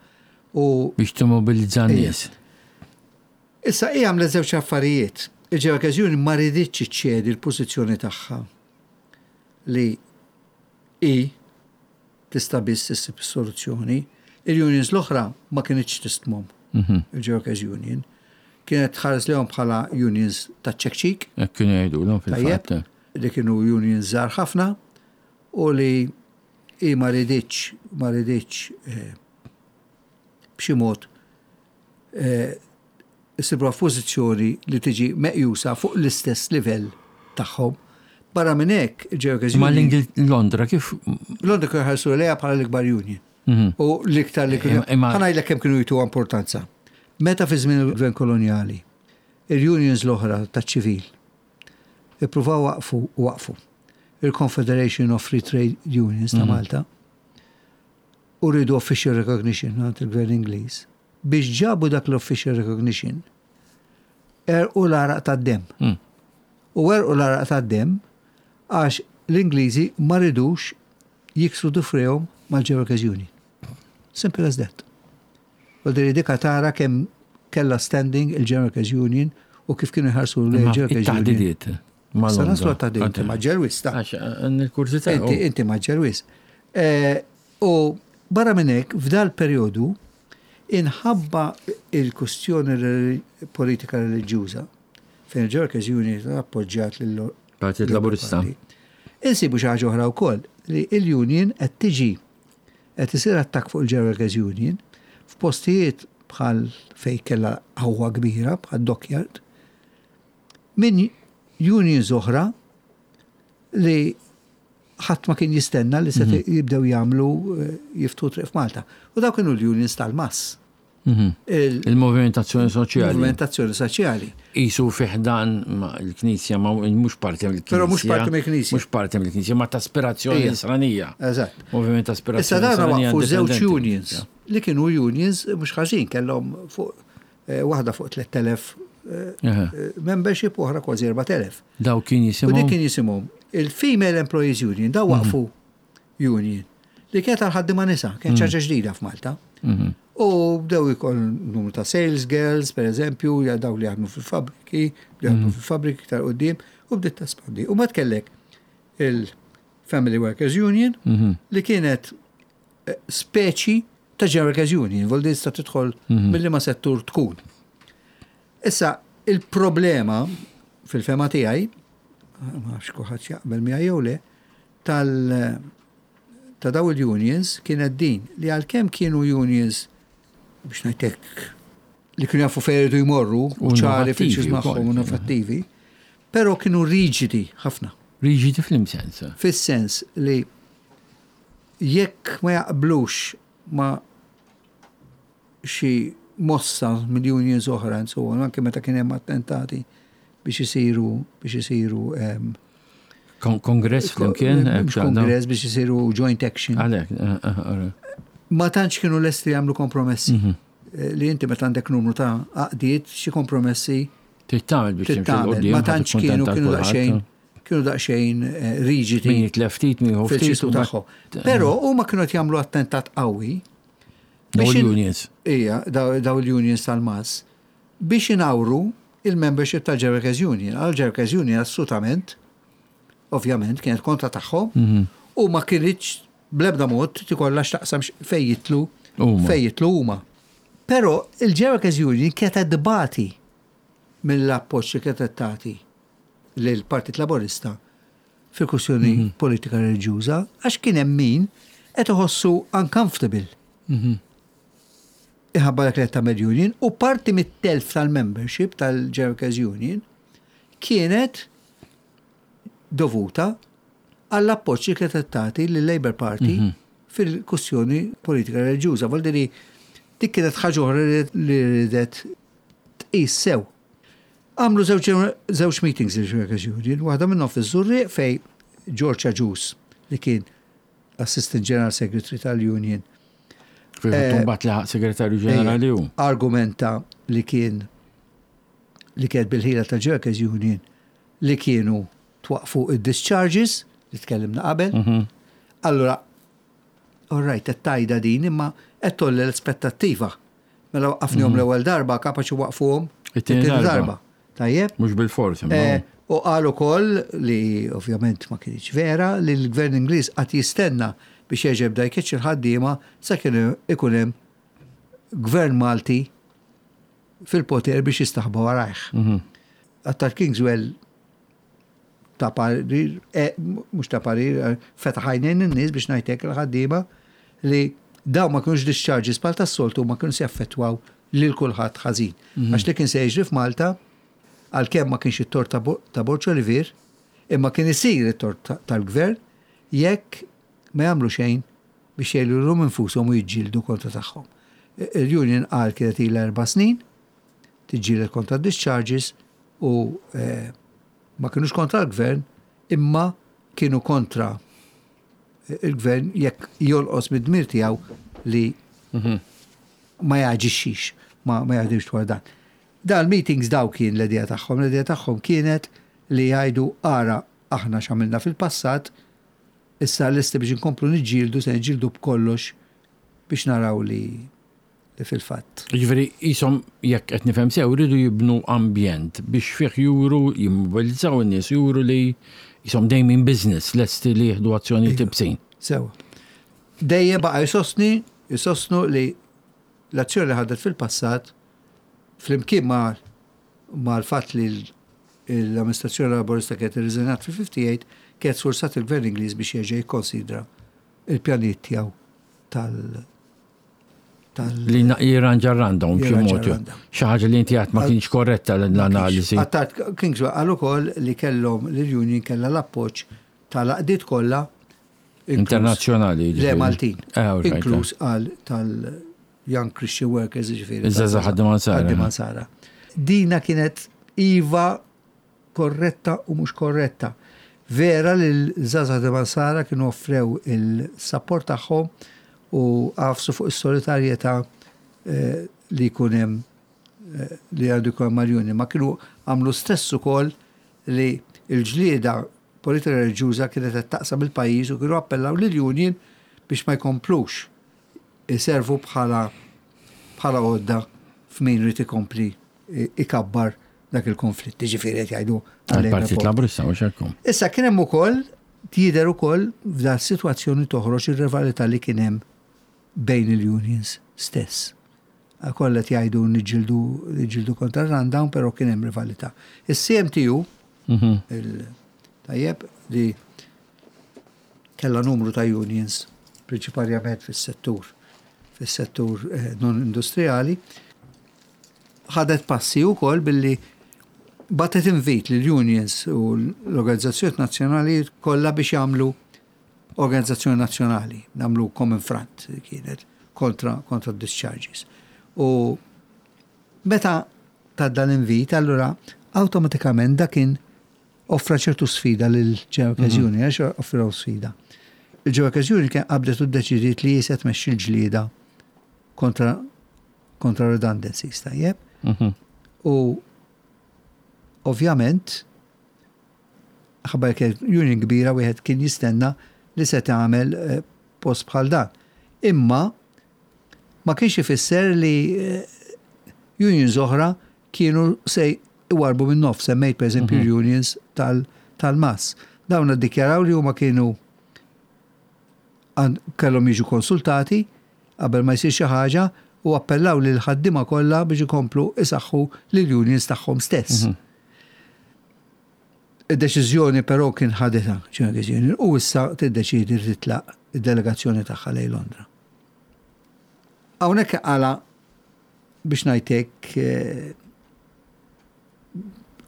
[SPEAKER 2] U
[SPEAKER 1] Biex timmobilizza n-nies.
[SPEAKER 2] Issa hija għamlet żewġ affarijiet. Il-Workers Union ma riditx iċċedi l-pożizzjoni tagħha li i tista' biss issib soluzzjoni. Il-unions l-oħra ma kinitx tistmahom.
[SPEAKER 1] Mhm.
[SPEAKER 2] Il-Workers Union kienet tħares lejhom bħala unions ta' ċekċik,
[SPEAKER 1] Hekk kienu jgħidulhom
[SPEAKER 2] Tajjeb.
[SPEAKER 1] fil-fatt.
[SPEAKER 2] Li kienu unions żgħar ħafna u li i ma riditx ma riditx eh, b'xi mod eh, issibha f'pożizzjoni li tiġi meqjusa fuq l-istess livell tagħhom. Barra minn hekk, il-Workers
[SPEAKER 1] Ma
[SPEAKER 2] Union
[SPEAKER 1] l-Ingil Londra kif?
[SPEAKER 2] Londra kienu ħarsu lejha bħala l-ikbar union.
[SPEAKER 1] Mhm.
[SPEAKER 2] U l-iktar li kienu.
[SPEAKER 1] Imma-
[SPEAKER 2] Ħa ngħidlek kemm kienu jtu importanza. Meta fi żmien il-gvern koloniali, il-unions l-oħra taċ-ċivil ippruvaw waqfu waqfu il-Confederation of Free Trade Unions ta' Malta u rridu official recognition għand il-gvern Ingliż. Biex ġabu dak l-official recognition, għerqu l-għaraq tad-dem.
[SPEAKER 1] Mm.
[SPEAKER 2] U għerqu l-għaraq tad-dem għax l-Ingliżi ma ridux jiksru dufrejhom mal-Workers Union. Simple as that. U dika tara kemm kella standing il-Workers Union u kif kienu jħarsu
[SPEAKER 1] Imma
[SPEAKER 2] l-Workers Union.
[SPEAKER 1] it-taħdidiet. Ma'
[SPEAKER 2] Sa naslu
[SPEAKER 1] Londra.
[SPEAKER 2] għat-taħdidiet, inti mgħaġġel wisq ta.
[SPEAKER 1] Għax għandi l-kurżità.
[SPEAKER 2] Inti, inti mgħaġġel wisq. Eh, U barra minn hekk, f'dal periodu, inħabba il-kustjoni reli- politika reliġjuża, fejn il-Workers Union appoġġjat lil
[SPEAKER 1] Partit Laburista.
[SPEAKER 2] Insibu xi ħaġa oħra wkoll li il-union qed tiġi qed isir attakk fuq il-Workers Union f'postijiet bħal fej kellha qawwa kbira bħal Dockyard minn unions oħra li ħadd ma kien jistenna li se jibdew jagħmlu eh, jiftu triq f'Malta. U dawk kienu l-unions tal-mass.
[SPEAKER 1] Mhm.
[SPEAKER 2] Il-
[SPEAKER 1] Il-Movimentazzjoni Soċjali.
[SPEAKER 2] Il-movimentazzjoni soċjali.
[SPEAKER 1] Isu fi ħdan ma l-Knisja, ma mhux parti mill-Knisja.
[SPEAKER 2] Però mhux parti mill-Knisja.
[SPEAKER 1] Mhux parti mill-Knisja, ma ta' aspirazzjoni
[SPEAKER 2] Ija.
[SPEAKER 1] nisranija.
[SPEAKER 2] Eżatt.
[SPEAKER 1] Moviment ta'
[SPEAKER 2] Issa
[SPEAKER 1] aspirazzjoni
[SPEAKER 2] dana
[SPEAKER 1] nisranija
[SPEAKER 2] waqfu żewġ
[SPEAKER 1] indipendenti.
[SPEAKER 2] unions li kienu unions mhux ħażin, kellhom fuq eh, waħda fuq tliet elef eh,
[SPEAKER 1] Aha.
[SPEAKER 2] eh, membership u oħra kważi erbat elef.
[SPEAKER 1] Daw kien
[SPEAKER 2] U dik
[SPEAKER 1] jisimhom.
[SPEAKER 2] kien jisimhom il-Female Employees Union, daw waqfu union li kienet għal-ħaddiema nisa, kien ħaġa ġdida f'Malta.
[SPEAKER 1] Mhm.
[SPEAKER 2] U bdew ikoll numru ta' sales girls, per eżempju, ja daw li jaħdmu fil-fabriki, li jaħdmu fil-fabriki tal-qoddim, u bdiet tespandi. U mbagħad kellek il-Family Workers Union,
[SPEAKER 1] Mhm.
[SPEAKER 2] li kienet eh, speċi ta' General Workers Union, vol tista' tidħol mill ma settur tkun. Issa, il-problema fil-fehma tiegħi, ma nafx kulħadd jaqbel miegħi jew le, tal ta' daw il-unions kienet din li għalkemm kienu unions, biex ngħidlek, li kienu jafu fejn iridu jmorru u
[SPEAKER 1] U
[SPEAKER 2] ċari
[SPEAKER 1] innovattivi
[SPEAKER 2] fil-ċiż magħhom
[SPEAKER 1] wkoll.
[SPEAKER 2] Innovattivi, però kienu riġidi ħafna.
[SPEAKER 1] Riġidi f'liema sens?
[SPEAKER 2] Fis-sens li jekk ma jaqblux ma xi mossa mill-unions oħra, and so on, anke meta kien hemm attentati biex isiru biex isiru em,
[SPEAKER 1] Kon- Kongress flimkien?
[SPEAKER 2] Mhux kongress, biex isiru joint action.
[SPEAKER 1] Għalek, eh, eh, eh,
[SPEAKER 2] Ma tantx kienu lesti jagħmlu kompromessi.
[SPEAKER 1] Mhm.
[SPEAKER 2] Eh, Li inti meta għandek numru ta' għaqdiet, xi kompromessi
[SPEAKER 1] Trid tagħmel biex timxi
[SPEAKER 2] tittamel.
[SPEAKER 1] 'l quddiem,
[SPEAKER 2] Ma
[SPEAKER 1] ħa
[SPEAKER 2] tantx kienu
[SPEAKER 1] tikkuntenta
[SPEAKER 2] kienu
[SPEAKER 1] kulħadd.
[SPEAKER 2] daqsxejn kienu daqsxejn eh, riġidi
[SPEAKER 1] Min jitlef ftit, min jieħu ftit.
[SPEAKER 2] fil-ċistu
[SPEAKER 1] u mbagħad-
[SPEAKER 2] tagħhom. Però huma kienu qed jagħmlu attentat qawwi
[SPEAKER 1] Daw
[SPEAKER 2] biex in-
[SPEAKER 1] l-unions.
[SPEAKER 2] Ija, daw daw il-unions tal-MAS biex inawru il-membership tal-Workers Union. Għal-Workers Union assolutament, ovvjament, kienet kontra tagħhom
[SPEAKER 1] Mhm.
[SPEAKER 2] u ma kienx bl-ebda mod tikollha x'taqsam x- fej jitlu
[SPEAKER 1] Huma.
[SPEAKER 2] fej jitlu huma. Però il-Workers Union kienet tbati mill-appoġġ li kienet tagħti lill-Partit Laborista fil-kwestjoni
[SPEAKER 1] Mhm.
[SPEAKER 2] politika reliġjuża, għax kien hemm min qed iħossu uncomfortable
[SPEAKER 1] Mhm.
[SPEAKER 2] iħabba dak li qed tagħmel union, u parti mit-telf tal-membership tal-Workers Union kienet dovuta għall-appoġġ li kienet tagħti lill-Labour Party
[SPEAKER 1] Mhm.
[SPEAKER 2] fil-kwestjoni politika reliġjuża. Vuol dire dik kienet ħaġa oħra li ridet tqis sew. Għamlu żewġ żewġ meetings il-Workers Union, waħda minnhom fiż-Żurrieq fej George Agius, li kien Assistant General Secretary tal-Union,
[SPEAKER 1] Fil-fatt
[SPEAKER 2] Eh,
[SPEAKER 1] mbagħad laħaq segretarju ġenerali hu.
[SPEAKER 2] argumenta li kien li kienet bil-ħila ta' Workers Union li kienu twaqfu id-discharges li tkellimna qabel.
[SPEAKER 1] Mhm.
[SPEAKER 2] Allora, all right, qed tajda din, imma qed tolli l-aspettattiva. Mela waqafnihom l-ewwel darba, kapaċi waqfuhom
[SPEAKER 1] It-tieni darba.
[SPEAKER 2] Tajjeb?
[SPEAKER 1] Mhux bil-fors, imma.
[SPEAKER 2] Eh, U qal ukoll li ovvjament ma kienx vera li l-gvern Ingliż qatt jistenna biex jerġa' jibda jkeċċi il-ħaddiema sakemm ikun hemm gvern Malti fil-poter biex jistaħba warajh.
[SPEAKER 1] Mhm.
[SPEAKER 2] Attard Kingswell ta parir, eh, mhux ta parir, eh, fetaħ għajnejn in-nies, biex ngħidlek, il-ħaddiema li daw ma kienux discharges bħal tas-soltu, ma kienux jaffettwaw lil kulħadd ħażin. Għax li kien se jiġri f'Malta, għalkemm ma kienx it-tort ta' Bo- ta' Borg Olivier, imma kien isir it-tort ta- tal-gvern jekk ma jagħmlu xejn biex jgħidu infushom u jiġġieldu kontra tagħhom. Il-union qal kienet ilha erba' snin tiġġieled kontra discharges u eh, ma kienux kontra l-gvern, imma kienu kontra il-gvern jekk jolqos mid-dmir tiegħu li
[SPEAKER 1] Mhm.
[SPEAKER 2] ma jaġixxix, ma, ma jaħdimx dwar dan. Dan meetings daw kien l-idea tagħhom, l-idea tagħhom kienet li jgħidu: ara aħna x'għamilna fil-passat, issa lesti biex inkomplu niġġieldu, se niġġieldu b'kollox biex naraw li, li fil-fatt.
[SPEAKER 1] Ġifieri, jisom, jekk qed nifhem sew, rridu jibnu ambjent biex fih juru, jimmobilizzaw in-nies, juru li jisom dejjem in business, lesti li jieħdu azzjoni iebsin.
[SPEAKER 2] Sewa. Dejjem baqa' jsostni, jisostnu li l-azzjoni li ħadet fil-passat flimkien ma ma l-fatt li l- l-amministrazzjoni laborista kienet irriżenjat fil-ħamsa u ħamsin kienet sforzat il-gvern Ingliż biex jerġa' jikkonsidra il-pjanijiet tiegħu tal tal
[SPEAKER 1] Li na- jirranġa r-rundown b'xi
[SPEAKER 2] Jirranġa
[SPEAKER 1] mod.
[SPEAKER 2] r-rundown.
[SPEAKER 1] Xi ħaġa li inti għad ma kienx korretta l-analiżi.
[SPEAKER 2] Attard Kingswell qal ukoll li kellhom li l-union kellha l-appoġġ tal-għaqdiet kollha inkluż-
[SPEAKER 1] Internazzjonali.
[SPEAKER 2] Le,
[SPEAKER 1] ġifieri.
[SPEAKER 2] Maltin.
[SPEAKER 1] Eh, all right,
[SPEAKER 2] Inkluż għal tal-Young Christian Workers, ġifieri.
[SPEAKER 1] Iż-żgħażagħ ħaddiema Nsara.
[SPEAKER 2] Ħaddiema Nsara. Dina kienet iva korretta u mhux korretta. Vera li l-żgħażagħ ħaddiema Nsara kienu offrew il-support tagħhom u għafsu fuq is-solidarjetà eh, li jkun hemm eh, li għandu jkun mal-union, ma kienu għamlu stess ukoll li l-ġlieda politika reliġjuża kienet qed taqsam il-pajjiż u kienu appellaw lill-union biex ma jkomplux iservu bħala bħala għodda f'min irid ikompli ikabbar dak il-konflitt. Ġifieri qed jgħidu
[SPEAKER 1] Għal-Partit
[SPEAKER 2] għal-Labour.
[SPEAKER 1] Laburista, mhux hekk.
[SPEAKER 2] Issa kien hemm ukoll jidher ukoll f'dan sitwazzjoni toħroġ ir-rivalità li kien hemm bejn il-unions stess. Kollha qed jgħidu niġġieldu niġġieldu kontra rundown, però kien hemm rivalità. Is-C M T U Il- Tajjeb, li kella numru ta' unions, prinċiparjament fis-settur, fis-settur eh, non industrijali, ħadet passi wkoll billi bagħtet invit lill unions u l-organizzazzjoni nazzjonali kollha biex jagħmlu organizzazzjoni nazzjonali, nagħmlu common front kienet kontra, kontra discharges. U meta ta' dan invit, allura awtomatikament da kien offra ċertu sfida lil General Workers Union, għax offraw sfida. Il-General Workers Union kien qabdet u ddeċidiet li se tmexxi l-ġlieda kontra kontra redundancies, tajjeb? U ovvjament, ħabba kien union kbira, wieħed kien jistenna li se tagħmel eh, post bħal dan. Imma ma kienx ifisser li eh, unions oħra kienu se iwarbu minn nofs, semmejt per eżempju unions tal-M A S. Dawn iddikjaraw li huma kienu kellhom jiġu konsultati qabel ma jsir xi ħaġa u appellaw lil ħaddiema kollha biex ikomplu isaħħu lil unions tagħhom stess. Id-deċiżjoni però kien ħadetha Union u issa tiddeċidi li titlaq id-delegazzjoni tagħha lejn Londra. Hawnhekk għala biex ngħidlek eh,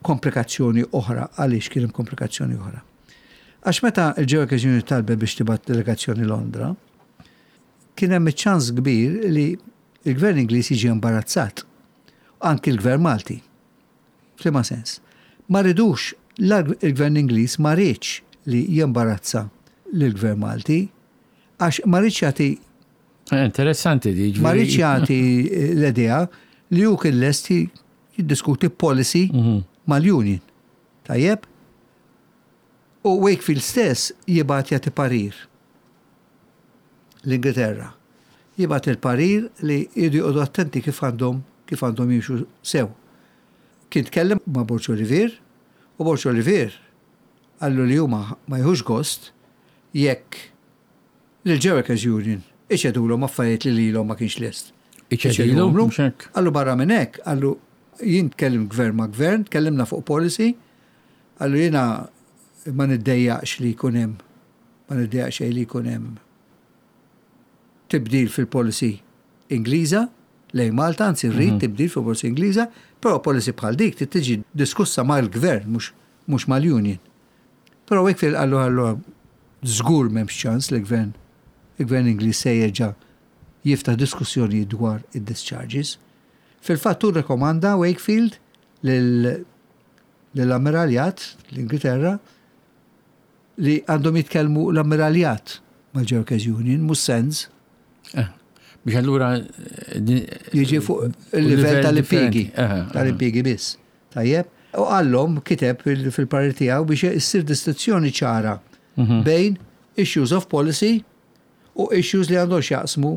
[SPEAKER 2] komplikazzjoni oħra. Għaliex kien hemm komplikazzjoni oħra? Għax meta il-General Union talbet biex tibgħat delegazzjoni Londra, kien hemm ċans kbir li il-gvern Ingliż jiġi imbarazzat. Anki l-gvern Malti. F'liema sens? Ma ridux, il-gvern Ingliż ma riedx li jimbarazza l-gvern Malti, għax ma riedx jagħti
[SPEAKER 1] eh, Interessanti di.
[SPEAKER 2] Ma riedx jagħti l-idea li hu kien lest jiddiskuti policy mhm. mal-union. Tajjeb? U Wakefield stess jibgħat jagħti parir l-Ingilterra. Jibgħat il-parir li jridu joqogħdu attenti kif għandhom kif għandhom jimxu sew. Kien tkellem ma' Borg Olivier u Borg Olivier qallu li huma ma jieħux gost jekk l-Workers Union iċedulhom affarijiet li lilhom ma kienx lest.
[SPEAKER 1] Iċedilhom?
[SPEAKER 2] Qallu barra minn hekk, qallu jien tkellim gvern ma' gvern, tkellimna fuq policy, qallu jiena ma niddejjaqx li jkun hemm ma niddejjaqx li jkun hemm tibdil fil-policy Ingliża lejn Malta, anzi rrid mhm. tibdil fil-policy Ingliża, però policy bħal dik tiġi diskussa mal-gvern mhux mal-union. Però Wakefield qallu qallu żgur m'hemmx ċans li gvern il-gvern Ingliż se jerġa' jiftaħ diskussjoni dwar id-discharges. Fil-fatt hu rekomanda Wakefield lill-Ammiraljat l-Ingilterra li għandhom jitkellmu l-Ammiraljat mal-Workers Union, mhux S E N S.
[SPEAKER 1] Eh, biex allura
[SPEAKER 2] jiġi fuq il-livell tal-impjiegi, tal-impjiegi biss. Tajjeb? U qallhom, kiteb fil-parir tiegħu biex issir distinzjoni ċara mhm. bejn issues of policy u issues li għandhom x'jaqsmu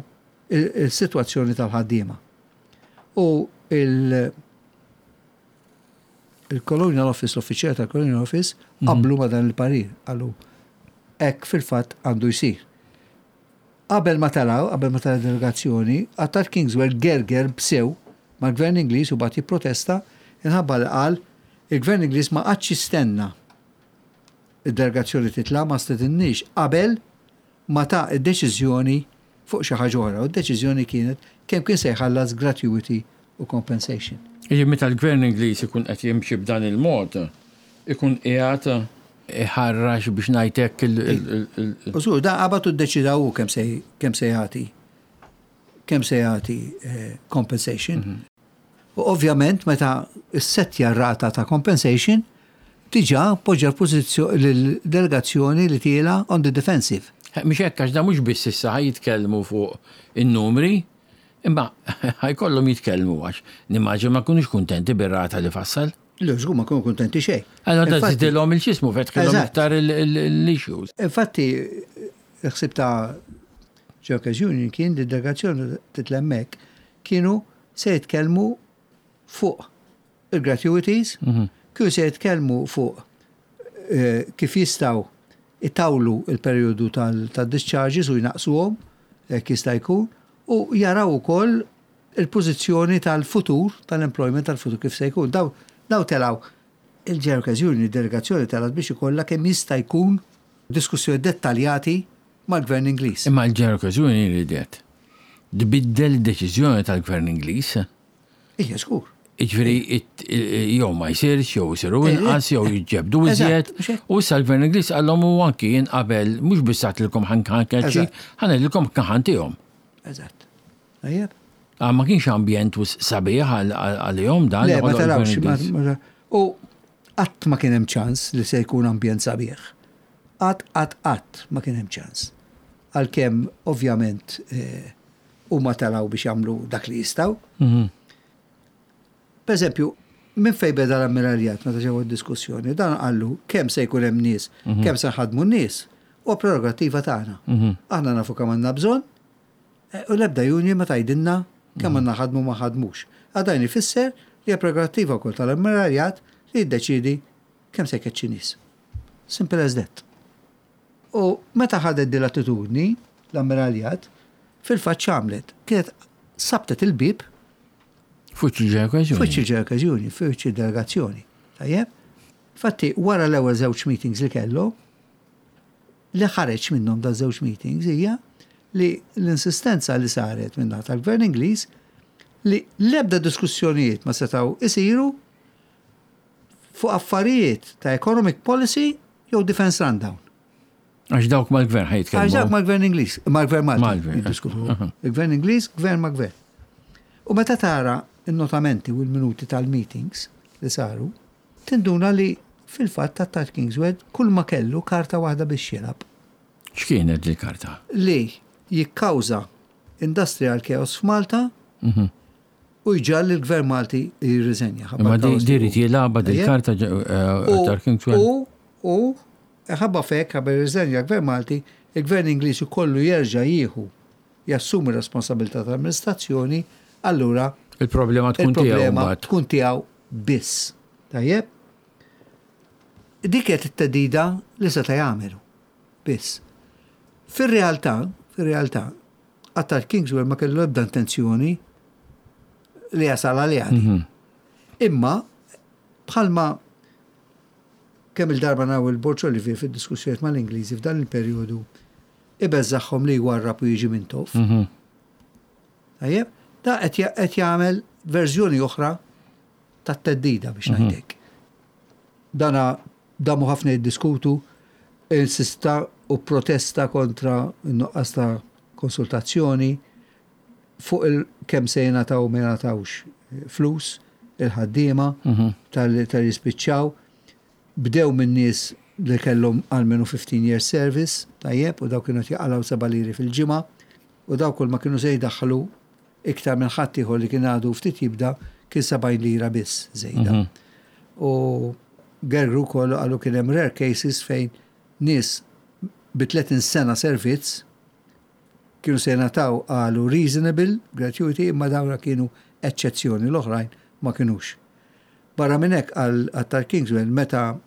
[SPEAKER 2] il-situazzjoni tal-ħaddiema. U il- il-Colonial Office, l-uffiċjal tal-Colonial Office, mhm. qablu ma dan il-parir, qalu hekk fil-fatt għandu jsir. Qabel ma telgħu, qabel ma telgħu delegazzjoni, Attard Kingswell gerger b'sew mal-gvern Ingliż u bagħat jipprotesta inħabba li qal il-gvern Ingliż ma qagħadx jistenna id-delegazzjoni titla', ma stedinniex qabel ma ta id-deċiżjoni fuq xi ħaġa oħra. U d-deċiżjoni kienet kemm kien se jħallas gratuity u compensation.
[SPEAKER 1] Iġi meta l-gvern Ingliż ikun qed jimxi b'dan il-mod, ikun qiegħed iħarrax biex ngħidlek il-
[SPEAKER 2] U żgur, da qabad u ddeċida hu kemm se kemm se jagħti kemm se jagħti eh, compensation. Mhm. U ovvjament meta ssettja rata ta' compensation, diġà poġġa l-pożizzjoni l-delegazzjoni li tiela on the defensive.
[SPEAKER 1] Eh, mhux hekk, għax da mhux biss issa ħa jitkellmu fuq in-numri, imma ħa jkollhom jitkellmu għax nimmaġina ma jkunux kuntenti bir-rata li fassal.
[SPEAKER 2] Le, żgur ma kunu kuntenti xejn.
[SPEAKER 1] Allora da żidilhom il-xismu, fetħilhom iktar l-issues.
[SPEAKER 2] Infatti, il-ħsib ta' Workers Union kien li delegazzjoni titla' hemmhekk kienu se jitkellmu fuq il-gratuities, mhm. kienu se jitkellmu fuq eh, kif jistgħu itawlu il-periodu tal-discharges u jnaqsuhom jekk jista' jkun, u jaraw ukoll il-pożizzjoni tal-futur, tal-employment tal-futur kif se jkun. Daw, daw telgħu Il-General Workers Union, delegazzjoni telgħet biex ikollha kemm jista' jkun diskussjoni dettaljati mal-Gvern Ingliż.
[SPEAKER 1] Imma l-General Workers Union ridet tbiddel deċiżjoni tal-Gvern Ingliż.
[SPEAKER 2] Ija, żgur.
[SPEAKER 1] Iġifieri, jew ma jsirx, jew isiru inqas, jew jiġġebdu iżjed. U issa l-Gvern Ingliż qallhom u anki jien qabel mhux biss għedtilkom ħa nkeċċi, ħa ngħidilkom ħa ntihom.
[SPEAKER 2] Eżatt. Tajjeb.
[SPEAKER 1] Ah, ma kienx ambjent sabiħ għalihom dan.
[SPEAKER 2] Le, ma tarawx. U qatt ma kien hemm ċans li se jkun ambjent sabiħ. Qatt, qatt, qatt ma kien hemm ċans. Għalkemm ovvjament eh, huma telgħu biex jagħmlu dak li jistgħu.
[SPEAKER 1] Mhm.
[SPEAKER 2] Per eżempju, minn fej beda l-ammiraljat meta ġew diskussjoni, dan qallu kemm se jkun hemm nies,
[SPEAKER 1] Mhm.
[SPEAKER 2] kemm se nħadmu n-nies, u prerogattiva tagħna.
[SPEAKER 1] Mhm.
[SPEAKER 2] Aħna nafu kemm għandna bżonn, eh, u l-ebda union ma tgħidilna kemm għandna ħadmu ma ħadmux. Għax dan ifisser li hija prerogattiva wkoll tal-ammiraljat li jiddeċidi kemm se jkeċċi nies. Simple as that. U meta ħadet din l-attitudni, l-ammiraljat, fil-fatt x'għamlet? Kienet sabtet il-bib
[SPEAKER 1] F'wiċċ il-General
[SPEAKER 2] f'wiċċ il-General Union, f'wiċċ il-delegazzjoni. Tajjeb? Fatti, wara l-ewwel żewġ meetings li kellu, li ħareġ minnhom da żewġ meetings hija li l-insistenza li saret minn tal-Gvern Ingliż li l-ebda diskussjonijiet ma setgħu isiru fuq affarijiet ta' economic policy jew defense rundown.
[SPEAKER 1] Għax dawk mal-gvern ħa jitkellmu.
[SPEAKER 2] Għax dawk mal-gvern Ingliż, mal-gvern Malti.
[SPEAKER 1] Mal-gvern,
[SPEAKER 2] jiddiskutu. Il-gvern Ingliż, gvern ma' gvern. U meta tara il-notamenti u l-minuti tal-meetings li saru, tinduna li fil-fatt ta' Kingswell kull ma kellu karta waħda biex jilgħab.
[SPEAKER 1] X'kienet li karta?
[SPEAKER 2] Li jikkawża industrial chaos f'Malta
[SPEAKER 1] Mhm.
[SPEAKER 2] u jġagħal il-gvern Malti jirriżenja.
[SPEAKER 1] Ma di ried jilgħabha dil-karta Attard Kingswell.
[SPEAKER 2] U, u, ħabba f'hekk, ħabba jirriżenja l-gvern Malti, il-gvern Ingliż kollu jerġa' jieħu jassumi responsabilità tal-amministrazzjoni, allura
[SPEAKER 1] Il-problema tkun tiegħu
[SPEAKER 2] il-problema
[SPEAKER 1] mbagħad.
[SPEAKER 2] tkun tiegħu biss. Tajjeb? Dik kienet it-theddida li seta' jagħmelu. Biss. Fir-realtà, fir-realtà, Attard Kingswell ma kellu ebda intenzjoni li jasal għalija.
[SPEAKER 1] Mhm.
[SPEAKER 2] Imma bħalma kemm il-darba naraw il-Borg Olivier fid-diskussjoniet mal-Ingliżi f'dan il-perjodu ibeżżagħhom li jwarrab u jiġi Mintoff.
[SPEAKER 1] Mhm.
[SPEAKER 2] Tajjeb, da qed ja- qed jagħmel verżjoni oħra tat-theddida biex ngħidlek. Dana damu ħafna jiddiskutu, insista u protesta kontra n-nuqqas ta' konsultazzjoni fuq il kemm se jingħataw ma jingħatawx flus il-ħaddiema
[SPEAKER 1] Mhm.
[SPEAKER 2] tal tal-jispiċċaw. Bdew minn nies li kellhom almenu fifteen years service, tajjeb, u daw kienu jaqilgħu seba' liri fil-ġimgħa, u daw kull ma kienu se jdaħħlu iktar minn ħadd ieħor li kien għadu ftit jibda kien sebgħin lira biss żejda.
[SPEAKER 1] Mhm.
[SPEAKER 2] U gergru kollu qalu kien hemm rare cases fejn nies bi tletin sena servizz kienu se jingħataw qalu reasonable gratuity, imma dawra kienu eċċezzjoni, l-oħrajn ma kienux. Barra minn hekk għal Attard Kingswell, meta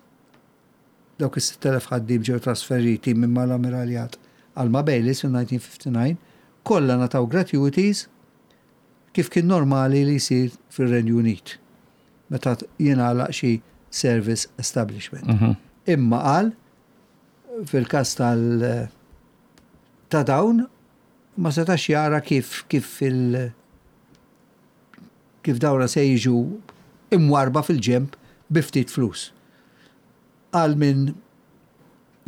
[SPEAKER 2] dawk is-sitt elef ħaddiem ġew trasferiti minn mal-ammiraljat għal ma' Baylis fil-elf disa' mija u ħamsa u disgħin, kollha ngħataw gratuities kif kien normali li jsir fir-Renju Unit meta jingħalaq xi service establishment.
[SPEAKER 1] Mhm.
[SPEAKER 2] Imma qal fil-każ tal ta' dawn ma setax jara kif kif il kif dawra se jiġu imwarba fil-ġemp bi ftit flus. Għal minn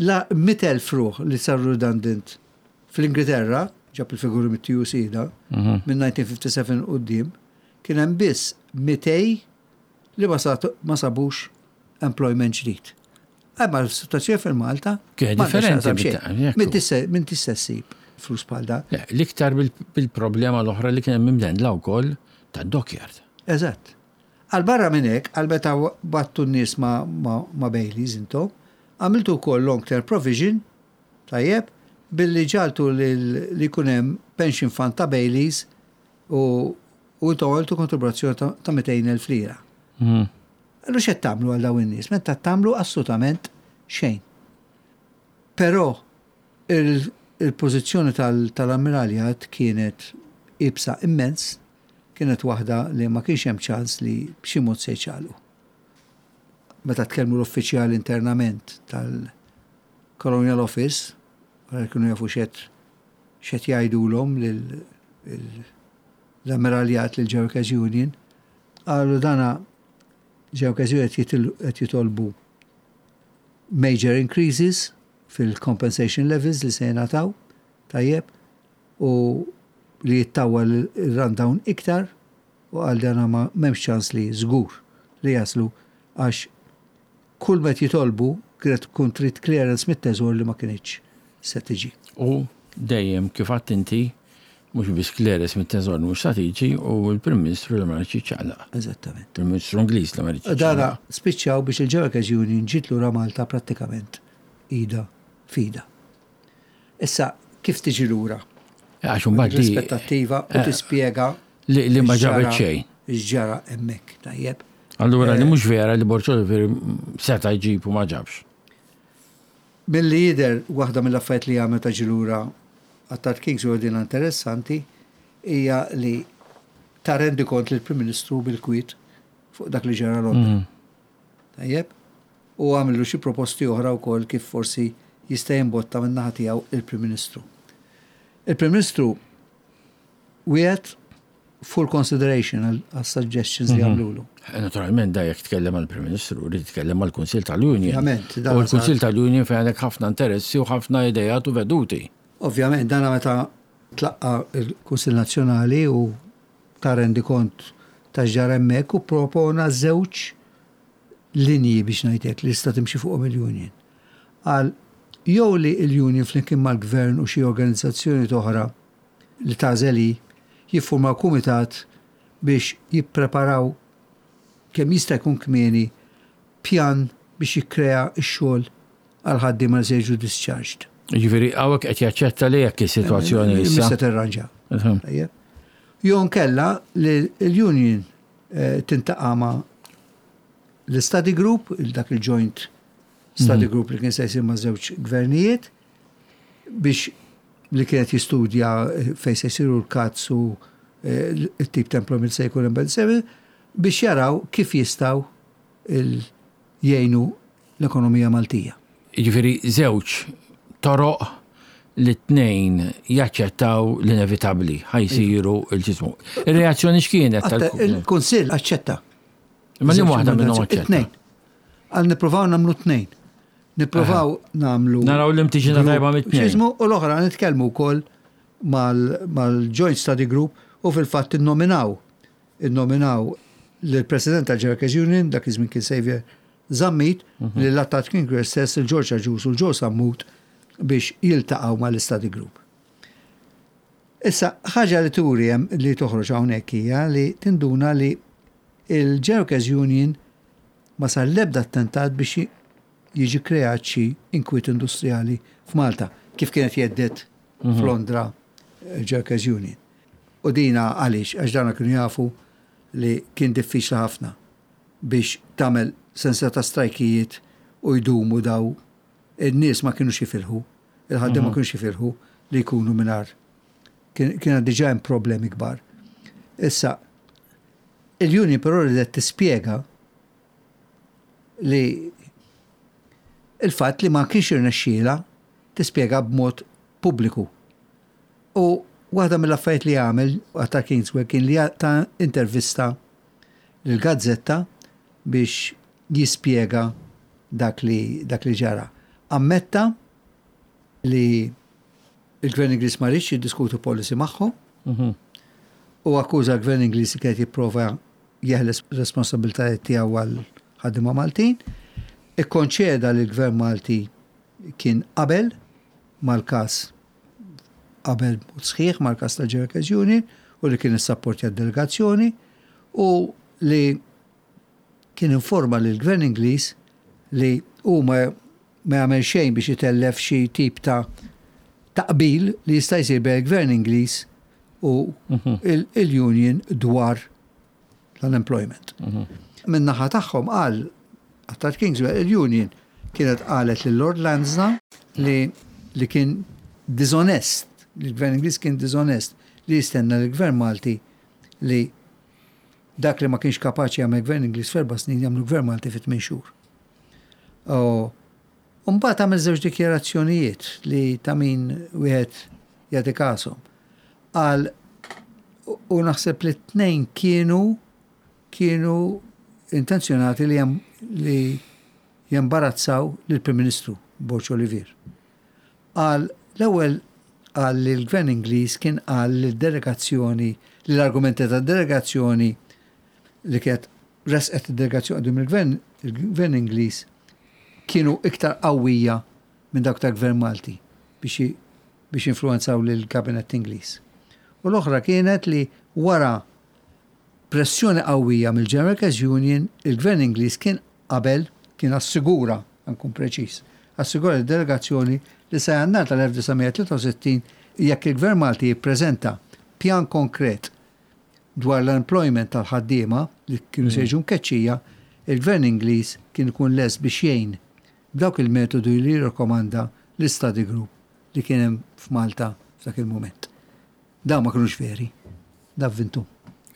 [SPEAKER 2] la mitt elf ruħ li saru redundant fl-Ingilterra, ġab il-figuri mit-T U C da,
[SPEAKER 1] Mhm.
[SPEAKER 2] minn elf disa' mija u ħamsa u sebgħin quddiem, kien hemm biss mitejn li ma sat- ma sabux employment ġdid. Imma l-situazzjoni fil-Malta
[SPEAKER 1] Kienet
[SPEAKER 2] m'għandha
[SPEAKER 1] differenti
[SPEAKER 2] x'taqsam xejn.
[SPEAKER 1] bit- jekku.
[SPEAKER 2] Min tista' min tista' ssib flus bħal da.
[SPEAKER 1] Le, l-iktar bil- bil-problema l-oħra li kien hemm imdendla wkoll ta' dockyard.
[SPEAKER 2] Eżatt. Għal barra minn hekk, għal meta bgħattu n-nies ma, ma, ma Bayleys intom, għamiltu wkoll long term provision, tajjeb, billi ġagħaltu li li jkun hemm pension fund ta' Bayleys u u intom għamiltu kontribuzzjoni ta' ta' mitejn elf lira.
[SPEAKER 1] Mhm.
[SPEAKER 2] Allu x'qed tagħmlu għal dawn in-nies? Meta tagħmlu assolutament xejn. Però il- il-pożizzjoni tal- tal-ammiraljat kienet iebsa immens, kienet waħda li ma kienx hemm ċans li b'xi mod se jċaqalqu. Meta tkellmu l-uffiċjali internament tal-Colonial Office, wara kienu jafu x'qed x'qed jgħidulhom l-ammiraljat, lil Workers Union, qalu dana Workers Union qed jitolbu major increases fil-compensation levels li se jingħataw, tajjeb, u li jittawwal il-rundown iktar, u għal dana ma m'hemmx ċans li żgur li jaslu, għax kull met jitolbu kienet tkun trid clearance mit-teżor li ma kinitx se tiġi.
[SPEAKER 1] U dejjem kif għedt inti, mhux biss clearance mit-teżor mhux se tiġi, u l-Prim Ministru li ma riedx jiċċaqlaq.
[SPEAKER 2] Eżattament.
[SPEAKER 1] Prim Ministru Ingliż li ma riedx
[SPEAKER 2] Dara spiċċaw biex il-Workers Union ġiet lura Malta prattikament id f'idha. Issa, kif tiġi lura?
[SPEAKER 1] Għax imbagħad di-
[SPEAKER 2] L-aspettattiva u
[SPEAKER 1] Eh,
[SPEAKER 2] tispjega
[SPEAKER 1] li li ma ġabet xejn.
[SPEAKER 2] X'ġara hemmhekk, tajjeb.
[SPEAKER 1] Allura li mhux vera li Borg Olivier seta' jġib u ma ġabx.
[SPEAKER 2] Milli jidher, waħda mill-affarijiet li għamel ta' ġie lura Attard Kingsway, din interessanti, hija li ta rendikont lill-Prim Ministru bil-kwiet fuq dak li ġara Londra. Tajjeb? U għamillu xi proposti oħra wkoll kif forsi jista' jimbotta min-naħa tiegħu il-Prim Ministru. Il-Prim Ministru wiegħed full consideration għal suggestions li għamlulu.
[SPEAKER 1] Naturalment da jekk tkellem għal-Prim Ministru, rrid jitkellem għal-Kunsil tal-Union.
[SPEAKER 2] Ovvjament, dan
[SPEAKER 1] U l-Kunsil tal-Union fejn għandek ħafna interessi u ħafna idejat u veduti.
[SPEAKER 2] Ovvjament, dana meta tlaqqa il-Kunsil Nazzjonali u ta rendikont ta' x'ġara hemmhekk u propona żewġ linji, biex ngħidlek, li tista' timxi fuqhom il-union. Għal jew li l-union flimkien mal-gvern u xi organizzazzjoni oħra li tagħżel hi jiffurmaw kumitat biex jippreparaw kemm jista' jkun kmieni pjan biex jikkrea x-xogħol għal ħaddiema li se jiġu discharged.
[SPEAKER 1] Ġifieri hawnhekk qed jaċċetta li jekk is-sitwazzjoni issa.
[SPEAKER 2] Mista tirranġa. Tajjeb. Jew nkella li l-union eh, tiltaqa' ma' l-study group, il- dak il-joint study group li kien se jsir ma' żewġ gvernijiet biex li kienet jistudja eh, fejn se jsiru l-cuts u eh, il-tip ta' employment se jkun hemm seven, biex jaraw kif jistgħu il- jgħinu l-ekonomija Maltija.
[SPEAKER 1] Ġifieri żewġ toroq li t-tnejn jaċċettaw l-inevitabbli ħa jsiru il-ġismu. Ir-reazzjoni x'kienet?
[SPEAKER 2] Għatta-
[SPEAKER 1] tal-
[SPEAKER 2] Il-Kunsill aċċetta.
[SPEAKER 1] Ma li waħda minnhom aċċetta.
[SPEAKER 2] It-tnejn. Għal nippruvaw nagħmlu tnejn. Nippruvaw nagħmlu.
[SPEAKER 1] Naraw li mtiġina tajba mit-tnejn.
[SPEAKER 2] X'jismu, u l-oħra nitkellmu wkoll mal-Joint Study Group, u fil-fatt innominaw. Innominaw l-President tal-Workers Union, dak iż-żmien kien Xavier Zammit,
[SPEAKER 1] Mhm.
[SPEAKER 2] li l-Attard Kingswear stess, il-George Agius u l-Joe Sammut, biex jiltaqgħu mal-Study Group. Issa, ħaġa li turi hemm li toħroġ hawnhekk hija li tinduna li il-Workers Union ma sar l-ebda attentat biex jiġi kreat xi inkwiet industrijali f'Malta, kif kienet jgħidu f'Londra il-Workers Union. U dina għaliex? Għax dana kienu jafu li kien diffiċli ħafna biex tagħmel sensa ta' strajkijiet u jdumu daw in-nies ma kienux jifilħu, il-ħaddiem ma kienux jifilħu li jkunu mingħajr. Kien kien diġà hemm problemi kbar. Issa, il-union però ridet tispjega li il-fatt li ma kienx irnexxiela tispjega b'mod pubbliku. U waħda mill-affarijiet li għamel Attard Kingsway kien li ta intervista lill-gazzetta biex jispjega dak li, dak li ġara. Ammetta li il-Gvern Ingliż ma riedx jiddiskutu policy magħhom u akkuża l-Gvern Ingliż li kienet jipprova jeħles responsabbiltajiet tiegħu għal ħaddiema Maltin. Ikkonċeda li l-Gvern Malti kien qabel mal-każ, qabel mod sħiħ mal-każ tal-Workers Union, u li kien issapportja d-delegazzjoni u li kien informa li l-Gvern Ingliż li hu ma ma jagħmel xejn biex itellef xi tip ta' taqbil li jista' jsir bejn il-Gvern Ingliż u il- il-union dwar l-unemployment. Min-naħa tagħhom, qal Attard Kingsway, il-union kienet qalet lil Lord Lansdowne li li kien dishonest, li l-Gvern Ingliż kien dishonest li jistenna l-Gvern Malti li dak li ma kienx kapaċi jagħmel Gvern Ingliż f'erba' snin jagħmlu Gvern Malti fi tmien xhur. U mbagħad għamel żewġ dikjarazzjonijiet li ta' min wieħed jagħti kashom. Qal u naħseb li t-tnejn kienu kienu intenzjonati li jem, li jembarazzaw lill-Prim Ministru Borg Olivier. Qal l-ewwel qal li l-Gvern Ingliż kien qal li l-delegazzjoni li l-argumenti tad-delegazzjoni li kienet resqet id-delegazzjoni quddiem il-Gvern il-Gvern Ingliż kienu iktar qawwija minn dawk tal-Gvern Malti biex biex influenzaw lill-Kabinett Ingliż. U l-oħra kienet li wara pressjoni qawwija mill-General Workers Union, il-Gvern Ingliż kien qabel, kien assigura, nkun preċiż, assigura l-delegazzjoni li sa Jannar tal-elf disa' mija tlieta u sittin jekk il-Gvern Malti jippreżenta pjan konkret dwar l-employment tal-ħaddiema li kienu se jiġu mkeċċija, il-Gvern Ingliż kien ikun lest biex jgħin b'dawk il-metodu li jirrakkomanda l-study group li kien hemm f'Malta f'dak il-moment. Dawn ma kinux veri. Da vvinthom.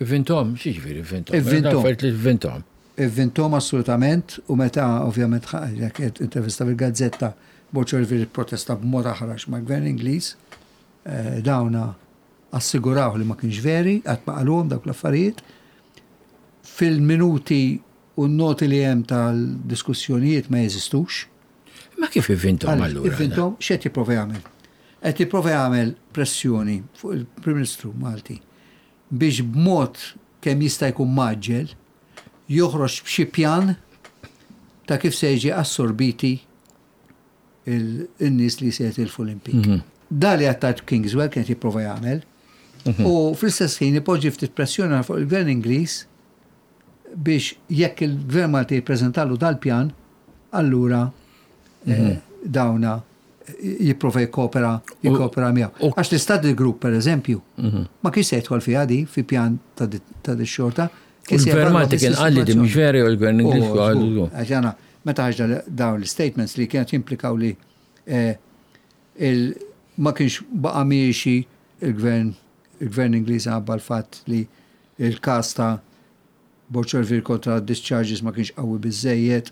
[SPEAKER 1] Ivvinthom, x'jiġifieri ivvinthom?
[SPEAKER 2] Ivvinthom.
[SPEAKER 1] Affarijiet li ivvinthom.
[SPEAKER 2] Ivvinthom assolutament u meta ovvjament jekk intervista fil-gazzetta, Borg Olivier protesta b'mod aħrax ma' gvern Ingliż, eh, dawna assiguraw li ma kienx veri, qatt ma qalhom dawk l-affarijiet. Fil-minuti u n-noti li hemm tal-diskussjonijiet ma jeżistux.
[SPEAKER 1] Ma kif ivvinthom allura?
[SPEAKER 2] Ivvinthom, x'qed jipprova jagħmel? Qed jipprova jagħmel pressjoni fuq il-Prim Ministru Malti biex b'mod kemm jista' jkun mgħaġġel joħroġ b'xi pjan ta' kif se jiġi assorbiti il-nies li se jitilfu l-impjieg.
[SPEAKER 1] Mhm.
[SPEAKER 2] Da li Attard Kingswell kien jipprova jagħmel
[SPEAKER 1] Mhm.
[SPEAKER 2] u fl-istess ħin ipoġġi ftit pressjoni fuq il-Gvern Ingliż biex jekk il-Gvern Malti jippreżentalu dal-pjan, allura eh,
[SPEAKER 1] Mhm.
[SPEAKER 2] dawna jipprova jikkopera jikkopera miegħu.
[SPEAKER 1] u-
[SPEAKER 2] Għax l-study group, per eżempju,
[SPEAKER 1] Mhm.
[SPEAKER 2] ma kienx se jidħol fiha di fi pjan ta' di- ta' di xorta.
[SPEAKER 1] U l-Gvern Malti kien qal li di mhux veri u l-Gvern Ingliż qalu.
[SPEAKER 2] Għax jana, meta ħaġa dawn l-statements li kienet jimplikaw li eh, il- ma kienx baqa miexi il-gvern il-gvern Ingliż għabba l-fatt li il-kas ta' Borg Olivier kontra discharges ma kienx qawwi biżejjed,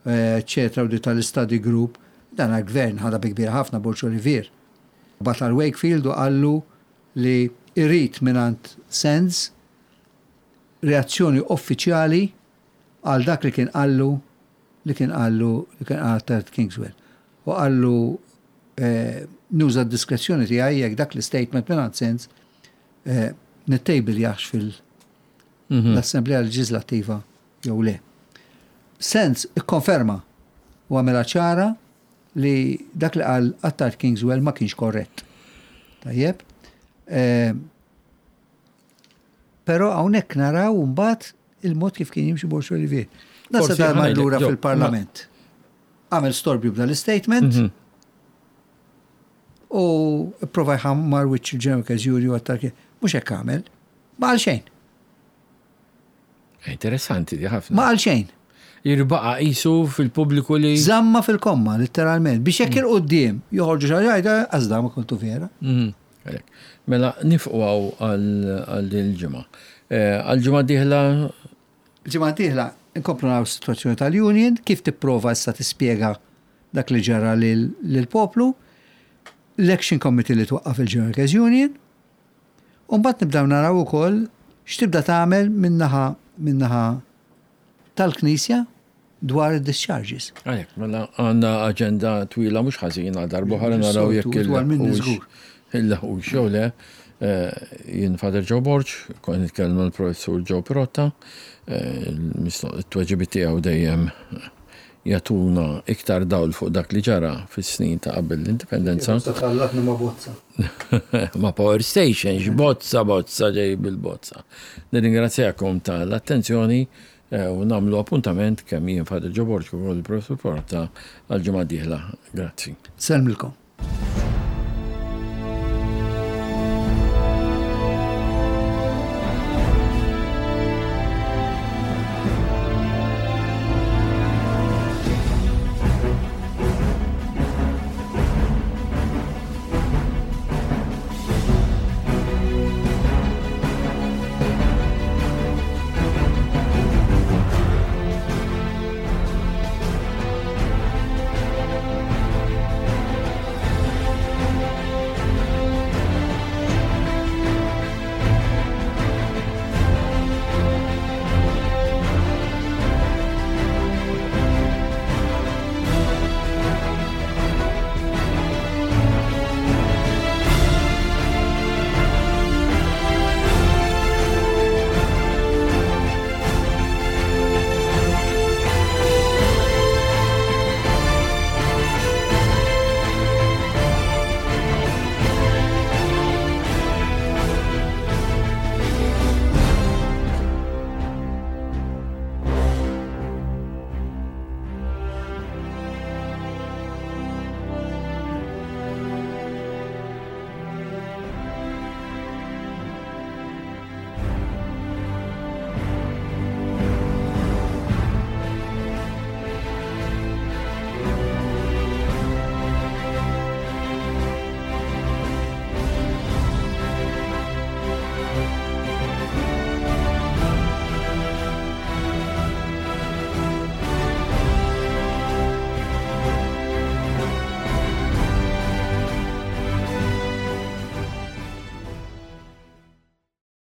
[SPEAKER 2] eccetera, u di tal-study group, dan għal-gvern ħadha bi kbira ħafna Borg Olivier. Bagħat lil Wakefield u qallu li irrid mingħand Sands reazzjoni uffiċjali għal dak li kien qallu li kien qallu li kien qal Attard Kingswell. U qallu eh, nuża d-diskrezzjoni tiegħi jekk dak l-statement mingħand Sands eh, nittejbiljahx fil-Assemblea Leġislattiva jew le. Sands ikkonferma u għamela ċara li dak li qal Attard Kingswell ma kienx korrett. Tajjeb. Eh, Però hawnhekk naraw mbagħad il-mod kif kien jimxi Borg Olivier. Nasa
[SPEAKER 1] Forsi
[SPEAKER 2] dar
[SPEAKER 1] ħa ngħidlek,
[SPEAKER 2] lura
[SPEAKER 1] Jo,
[SPEAKER 2] fil-Parlament. Għamel storbju b'dal statement
[SPEAKER 1] Mhm.
[SPEAKER 2] u prova jħammar wiċċ il-General Workers u għattar mhux hekk għamel. Ma qal xejn.
[SPEAKER 1] Interessanti di ħafna.
[SPEAKER 2] Ma qal xejn.
[SPEAKER 1] Jirbaqa qisu fil-pubbliku li.
[SPEAKER 2] Żamma fil-komma, letteralment. Biex jekk il-qoddim joħorġu xi ħaġa, għazda ma kontu vera.
[SPEAKER 1] Mhm. Għalek. Mela nieqfu hawn għal din il-ġimgħa. Eh, Għal-ġimgħa dieħla
[SPEAKER 2] Ġimgħa dieħla nkomplu naraw situazzjoni tal-union, kif tipprova issa tispjega dak li ġara lil- lill-poplu, l-Action Committee li twaqqaf il-General Workers Union, u mbagħad nibdew naraw ukoll x'tibda tagħmel min-naħa min-naħa tal-Knisja dwar id-discharges.
[SPEAKER 1] Għalek, mela għandna aġenda twila mhux ħażin għal darb'oħra naraw jekk
[SPEAKER 2] Twal minni
[SPEAKER 1] il-
[SPEAKER 2] żgur.
[SPEAKER 1] Il-laħu xew le, eh, jien Father Joe Borg, kont nitkellmu l-professur Joe Pirotta, eh, il-tweġibiet tiegħu dejjem jagħtuna iktar dawl fuq dak li ġara fis-snin ta' qabel l-indipendenza.
[SPEAKER 2] Tħallatna ma' bozza.
[SPEAKER 1] Ma' power station, x'bozza bozza ġej bil-bozza. Nirringrazzjakom tal-attenzjoni eh, u nagħmlu appuntament kemm jien Father Joe Borg u il-professur Pirotta għal-ġimgħa dieħla. Grazzi.
[SPEAKER 2] Sellmilkom.